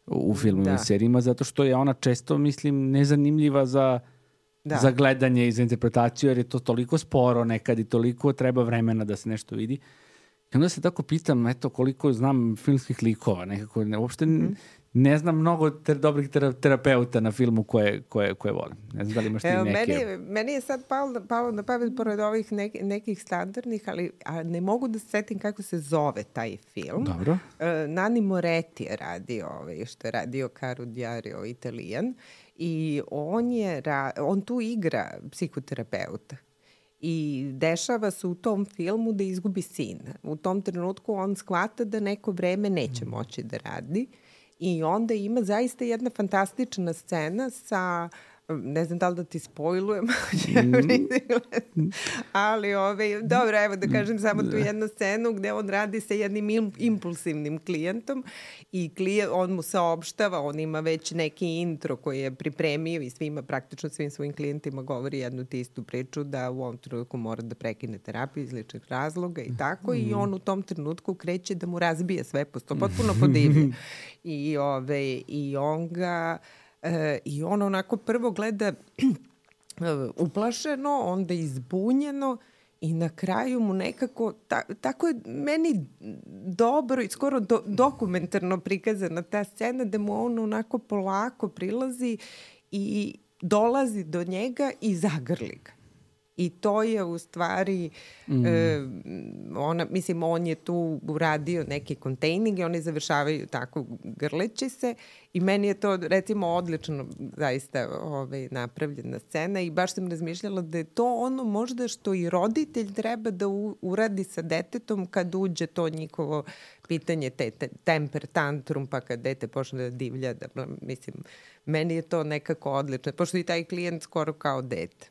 u filmovima Da. i serijima, zato što je ona često, mislim, nezanimljiva za, Da. za gledanje i za interpretaciju, jer je to toliko sporo nekad i toliko treba vremena da se nešto vidi. I onda se tako pitam, eto, koliko znam filmskih likova, nekako, ne, uopšte n- ne znam mnogo ter, dobrih tera, terapeuta na filmu koje, koje, koje volim. Ne znam da li imaš ti Evo, neke. meni, meni je sad palo, palo na pamet pored ovih nek, nekih standardnih, ali a ne mogu da se setim kako se zove taj film. Dobro. E, Nani Moretti je radio, ovaj, što je radio Caro Diario Italijan, i on, je, ra- on tu igra psihoterapeuta. I dešava se u tom filmu da izgubi sina. U tom trenutku on shvata da neko vreme neće moći da radi i onda ima zaista jedna fantastična scena sa, ne znam da li da ti spojlujem, ali ovaj, dobro, evo da kažem samo tu jednu scenu gde on radi sa jednim im- impulsivnim klijentom i klije, on mu saopštava, on ima već neki intro koji je pripremio i svima, praktično svim svojim klijentima govori jednu te istu priču da u ovom trenutku mora da prekine terapiju iz ličnih razloga i tako i on u tom trenutku kreće da mu razbije sve posto, potpuno podivlje. I, ove, i on ga e, i on onako prvo gleda uplašeno, onda izbunjeno i na kraju mu nekako, ta, tako je meni dobro i skoro do, dokumentarno prikazana ta scena da mu on onako polako prilazi i dolazi do njega i zagrli ga. I to je u stvari, mm. e, ona, mislim, on je tu uradio neki kontejning i oni završavaju tako grleći se i meni je to, recimo, odlično zaista ovaj, napravljena scena i baš sam razmišljala da je to ono možda što i roditelj treba da u, uradi sa detetom kad uđe to njihovo pitanje, te, te temper tantrum, pa kad dete počne da divlja, da, mislim, meni je to nekako odlično, pošto i taj klijent skoro kao dete.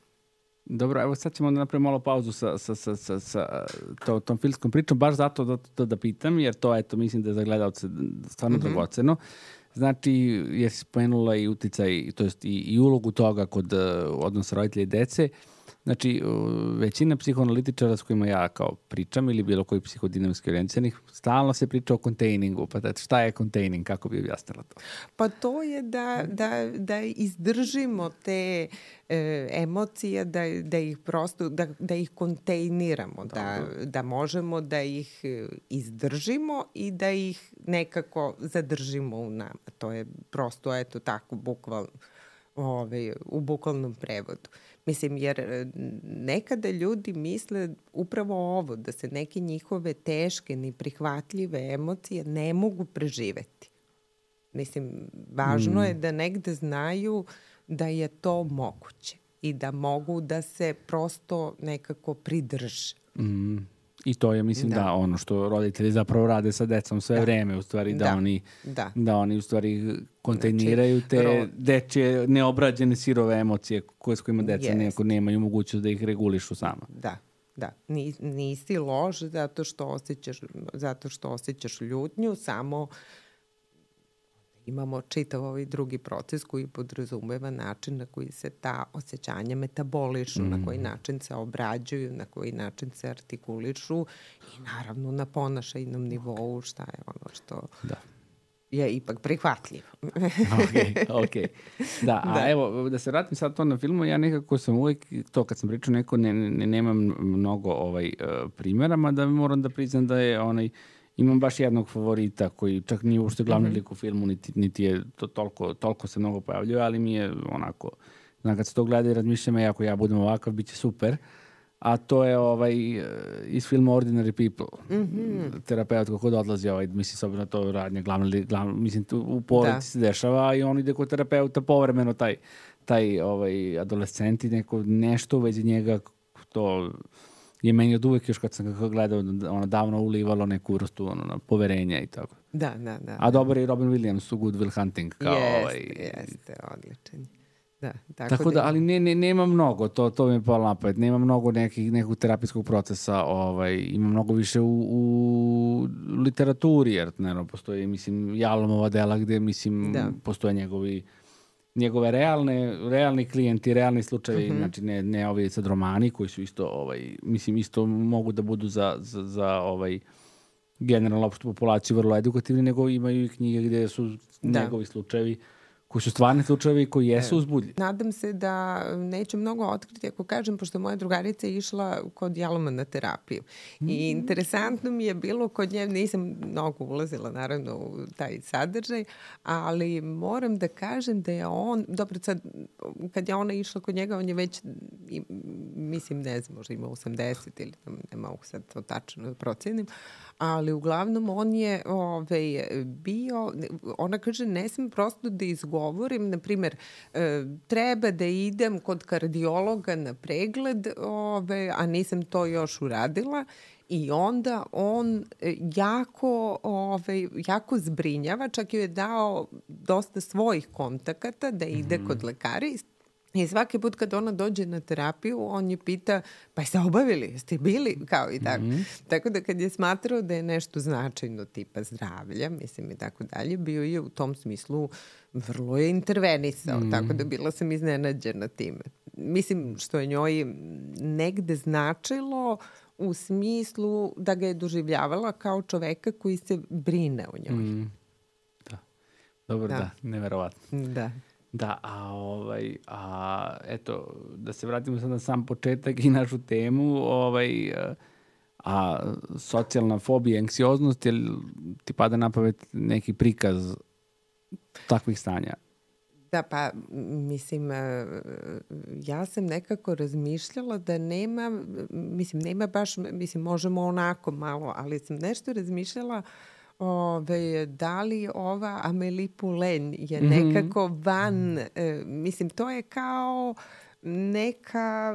Dobro, evo sad ćemo da napravimo malo pauzu sa, sa, sa, sa, sa to, tom filmskom pričom, baš zato da, da, da pitam, jer to, eto, mislim da je za gledalce stvarno mm-hmm. dragoceno. Znači, jer si spomenula i uticaj, to jest i, i ulogu toga kod uh, odnosa roditelja i dece. Znači, uh, većina psihoanalitičara s kojima ja kao pričam ili bilo koji psihodinamski orijentisanih, stalno se priča o kontejningu. Pa tati, šta je kontejning? Kako bi objasnila to? Pa to je da, da, da izdržimo te e, emocije, da, da ih prosto, da, da ih kontejniramo, da, da možemo da ih izdržimo i da ih nekako zadržimo u nama. To je prosto, eto tako, bukvalno, ovaj, u bukvalnom prevodu. Mislim, jer nekada ljudi misle upravo ovo, da se neke njihove teške, neprihvatljive emocije ne mogu preživeti. Mislim, važno mm. je da negde znaju da je to moguće i da mogu da se prosto nekako pridrže. Mm. I to je, mislim, da. Da. da, ono što roditelji zapravo rade sa decom sve Da. vreme, u stvari, da, Da. oni, Da. da oni, u stvari, kontejniraju te ro- dečje neobrađene sirove emocije koje s kojima deca Jest. nekako nemaju mogućnost da ih regulišu sama. Da, da. Ni, nisi loš zato što osjećaš, zato što osjećaš ljutnju, samo imamo čitav ovaj drugi proces koji podrazumeva način na koji se ta osjećanja metabolišu, mm. na koji način se obrađuju, na koji način se artikulišu i naravno na ponašajnom nivou šta je ono što... Da. je ipak prihvatljiv. ok, ok. Da, a da. Evo, da se vratim sad to na filmu, ja nekako sam uvijek, to kad sam pričao neko, ne, ne, nemam mnogo ovaj, uh, primjera, mada moram da priznam da je onaj, imam baš jednog favorita koji čak nije uopšte glavni mm-hmm. lik u filmu, niti, niti je to toliko, toliko se mnogo pojavljuje, ali mi je onako, znam kad se to gleda i razmišljam, ako ja budem ovakav, bit će super. A to je ovaj, iz filma Ordinary People. Mm-hmm. Terapeut kako da odlazi, ovaj, mislim, s obzirom na to radnje, glavno, glavno, mislim, tu u porodici se dešava i on ide kod terapeuta povremeno, taj, taj ovaj, adolescent i neko, nešto u vezi njega, to je meni od uvek još kad sam ga gledao, ono, davno ulivalo neku vrstu ono, poverenja i tako. Da, da, da. A dobar je i Robin Williams u Good Will Hunting. Kao, jeste, ovaj, jeste, odličan. Da, tako, tako da, ali ne, ne, nema mnogo, to, to mi je palo napad, nema mnogo nekih, nekog terapijskog procesa, ovaj, ima mnogo više u, u literaturi, jer naravno postoji, mislim, Jalomova dela gde, mislim, da. Postoje njegovi, njegove realne, realni klijenti, realni slučajevi, uh-huh. znači ne, ne ovi sad romani koji su isto, ovaj, mislim, isto mogu da budu za, za, za ovaj, generalno opštu populaciju vrlo edukativni, nego imaju i knjige gde su da. Njegovi slučajevi koji su stvarni slučajevi koji jesu uzbudljivi. Nadam se da neću mnogo otkriti ako kažem, pošto moja drugarica je išla kod Jaloma na terapiju. Mm. I interesantno mi je bilo kod nje, nisam mnogo ulazila naravno u taj sadržaj, ali moram da kažem da je on, dobro sad, kad je ona išla kod njega, on je već, mislim, ne znam, možda ima osamdeset ili ne mogu sad to tačno da procenim, ali uglavnom on je ovaj, bio, ona kaže, ne smem prosto da izgovorim, na primjer, treba da idem kod kardiologa na pregled, ovaj, a nisam to još uradila. I onda on jako, ovaj, jako zbrinjava, čak joj je dao dosta svojih kontakata da ide mm-hmm. kod lekara. I svaki put kad ona dođe na terapiju, on je pita, pa jeste obavili, jeste bili, kao i tako. Mm-hmm. Tako da kad je smatrao da je nešto značajno tipa zdravlja, mislim i tako dalje, bio je u tom smislu vrlo je intervenisao, mm-hmm. tako da bila sam iznenađena time. Mislim što je njoj negde značilo u smislu da ga je doživljavala kao čoveka koji se brine o njoj. Mm. Da. Dobro, da, da neverovatno. Da. Da, a ovaj, a eto, da se vratimo sad na sam početak i našu temu, ovaj, a socijalna fobija, anksioznost, jel ti pada na pamet neki prikaz takvih stanja? Da, pa, mislim, ja sam nekako razmišljala da nema, mislim, nema baš, mislim, možemo onako malo, ali sam nešto razmišljala Ove, da li ova Amélie Poulain je mm-hmm. nekako van, e, mislim, to je kao neka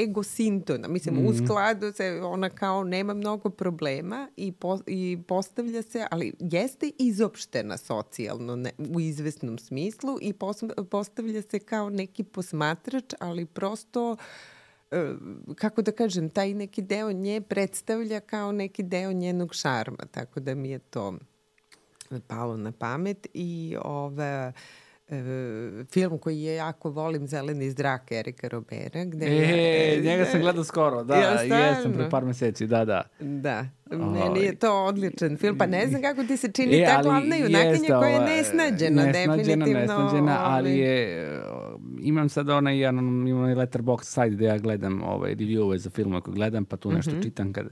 egosintona, mislim, mm-hmm. u skladu se, ona kao nema mnogo problema i, po, i postavlja se, ali jeste izopštena socijalno ne, u izvesnom smislu i pos, postavlja se kao neki posmatrač, ali prosto kako da kažem, taj neki deo nje predstavlja kao neki deo njenog šarma, tako da mi je to palo na pamet i ove, e, film koji je jako volim, Zeleni zrak Erika Robera. Gde e, je, njega sam gledao skoro, da, ja, jesam pre par meseci, da, da. Da, meni je to odličan film, pa ne znam kako ti se čini e, ta glavna junakinja koja je nesnađena, nesnađena definitivno. Nesnađena, ali je, imam sad onaj, imam onaj Letterboxd site gde ja gledam ovaj, review za filmove koje gledam, pa tu nešto mm-hmm. čitam kad...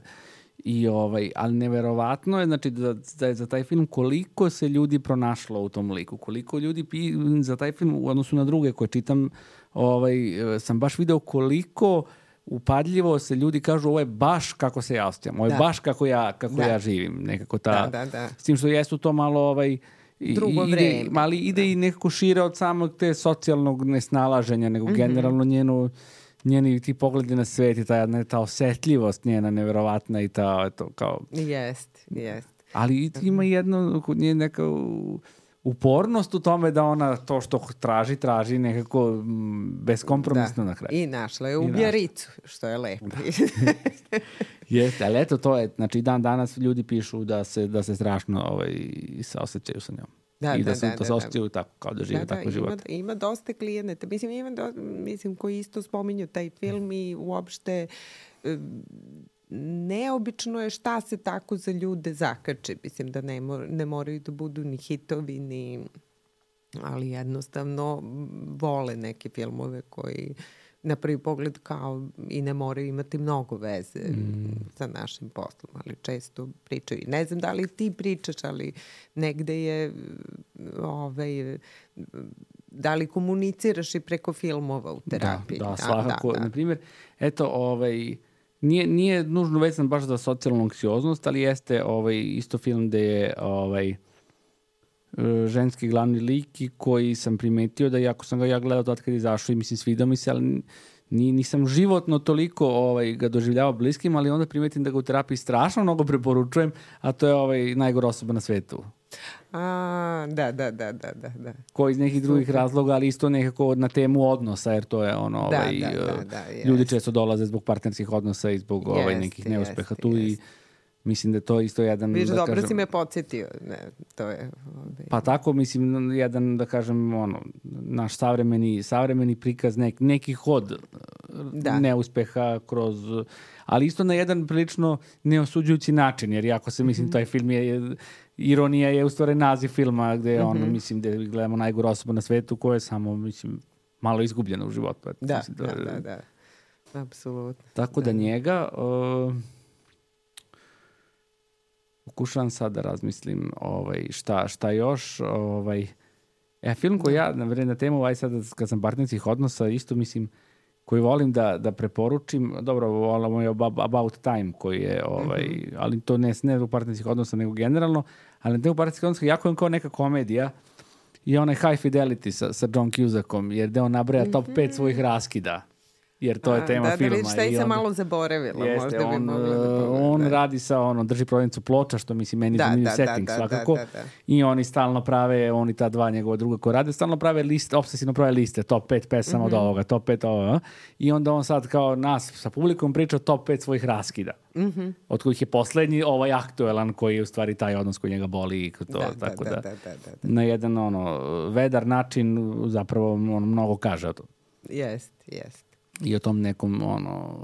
I ovaj, ali neverovatno je, znači, da, da je za taj film koliko se ljudi pronašlo u tom liku, koliko ljudi pi, za taj film u odnosu na druge koje čitam, ovaj, sam baš video koliko upadljivo se ljudi kažu ovo je baš kako se ja osjećam, ovo je da. baš kako ja, kako da. ja živim, nekako ta, da, da, da. s tim što jesu to malo ovaj, drugo ide, vreme. Mali ide da. i nekako šire od samog te socijalnog nesnalaženja, nego mm-hmm. generalno njenu njeni ti pogledi na svet i ta, ta osetljivost njena neverovatna i ta, eto, kao... Jest, jest. Ali ima jedno, nje neka upornost u tome da ona to što traži, traži nekako beskompromisno da. na kraju. I našla je ubjericu, što je lepo. Da. Jeste, ali eto, to je, znači dan danas ljudi pišu da se, da se strašno ovaj, saosećaju sa njom. Da, I da, da se da, to da, saosećaju da. tako, kao da žive da, tako da, život. Ima, ima dosta klijenata. Mislim, ima do, mislim, koji isto spominju taj film i uopšte neobično je šta se tako za ljude zakače. Mislim da ne, mor, ne moraju da budu ni hitovi, ni, ali jednostavno vole neke filmove koji na prvi pogled kao i ne moraju imati mnogo veze mm. sa našim poslom, ali često pričaju. Ne znam da li ti pričaš, ali negde je ovaj, da li komuniciraš i preko filmova u terapiji? Da, da, svakako. Da, da. Na primjer, eto, ovaj, nije, nije nužno vezan baš za socijalnu anksioznost, ali jeste ovaj, isto film gde je ovaj, ženski glavni lik i koji sam primetio da iako sam ga ja gledao tad kad je izašao i mislim svidao mi se, ali ni, nisam životno toliko ovaj, ga doživljavao bliskim, ali onda primetim da ga u terapiji strašno mnogo preporučujem, a to je ovaj najgora osoba na svetu. A, da, da, da, da, da. Koji iz nekih drugih razloga, ali isto nekako na temu odnosa, jer to je ono, da, ovaj, da, da, da, ljudi često dolaze zbog partnerskih odnosa i zbog jest, ovaj, nekih neuspeha tu jest. I mislim da to isto jedan... Viš, da dobro kažem, si me podsjetio. Ne, to je, ovaj... Pa tako, mislim, jedan, da kažem, ono, naš savremeni, savremeni prikaz nek, nekih od da. neuspeha kroz... Ali isto na jedan prilično neosuđujući način, jer jako se, mislim, mm-hmm. taj film je... Ironija je u stvari naziv filma gde je mm-hmm. ono, mislim, gde gledamo najgoru osobu na svetu koja je samo, mislim, malo izgubljena u životu. Da, mislim, da, da, da. Apsolutno. Tako da, da njega... Uh, pokušavam sad da razmislim ovaj, šta, šta još. Ovaj, e, film koji ja, na, na temu, ovaj sad, kad sam partnerskih odnosa, isto mislim, koji volim da, da preporučim, dobro, volamo je About Time, koji je, ovaj, mm-hmm. ali to ne, ne u partnerskih odnosa, nego generalno, ali na temu partnerskih odnosa jako je kao neka komedija i onaj High Fidelity sa, sa John Cusackom, jer da on nabraja mm-hmm. top pet svojih raskida. Jer to je tema da, filma. Da, vidiš, šta i sam malo zaboravila. Jeste, možda on, bi mogla da on da. radi sa, ono, drži prodavnicu ploča, što mislim, meni da, zanimljiv da, setting da, svakako. Da, da, da. I oni stalno prave, oni ta dva njegova druga koja rade, stalno prave liste, obsesivno prave liste, top pet pesama mm-hmm. od ovoga, top pet ovoga. I onda on sad kao nas sa publikom priča top pet svojih raskida. Mm-hmm. Od kojih je poslednji ovaj aktuelan koji je u stvari taj odnos koji njega boli i to, da, tako da, da, da, da, da, da. na jedan ono, vedar način zapravo on mnogo kaže o tom. Jest, jest. I o tom nekom, ono,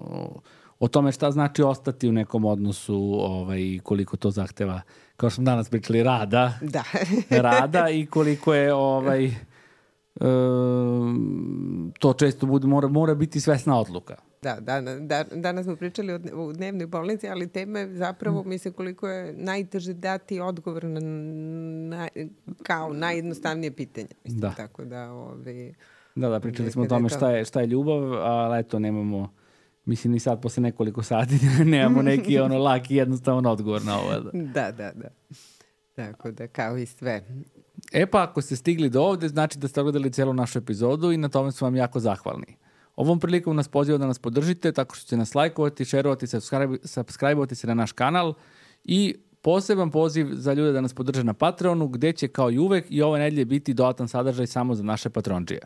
o tome šta znači ostati u nekom odnosu, ovaj, koliko to zahteva, kao što smo danas pričali, rada. Da. rada i koliko je, ovaj, um, to često bude, mora, mora biti svesna odluka. Da, da, da, danas smo pričali o, o dnevnoj bolnici, ali tema je zapravo, mislim, koliko je najteže dati odgovor na, na kao najjednostavnije pitanje. Mislim, da. Tako da, ovaj... Da, da, pričali smo o tome šta je, šta je ljubav, ali eto, nemamo, mislim, ni sad posle nekoliko sati nemamo neki ono laki jednostavan odgovor na ovo. Da, da, da. Tako da, kao i sve. E pa, ako ste stigli do ovde, znači da ste gledali celu našu epizodu i na tome smo vam jako zahvalni. Ovom prilikom nas poziva da nas podržite tako što ćete nas lajkovati, šerovati, subscribe-ovati se na naš kanal i poseban poziv za ljude da nas podrže na Patreonu, gde će kao i uvek i ove nedelje biti dodatan sadržaj samo za naše patronđije.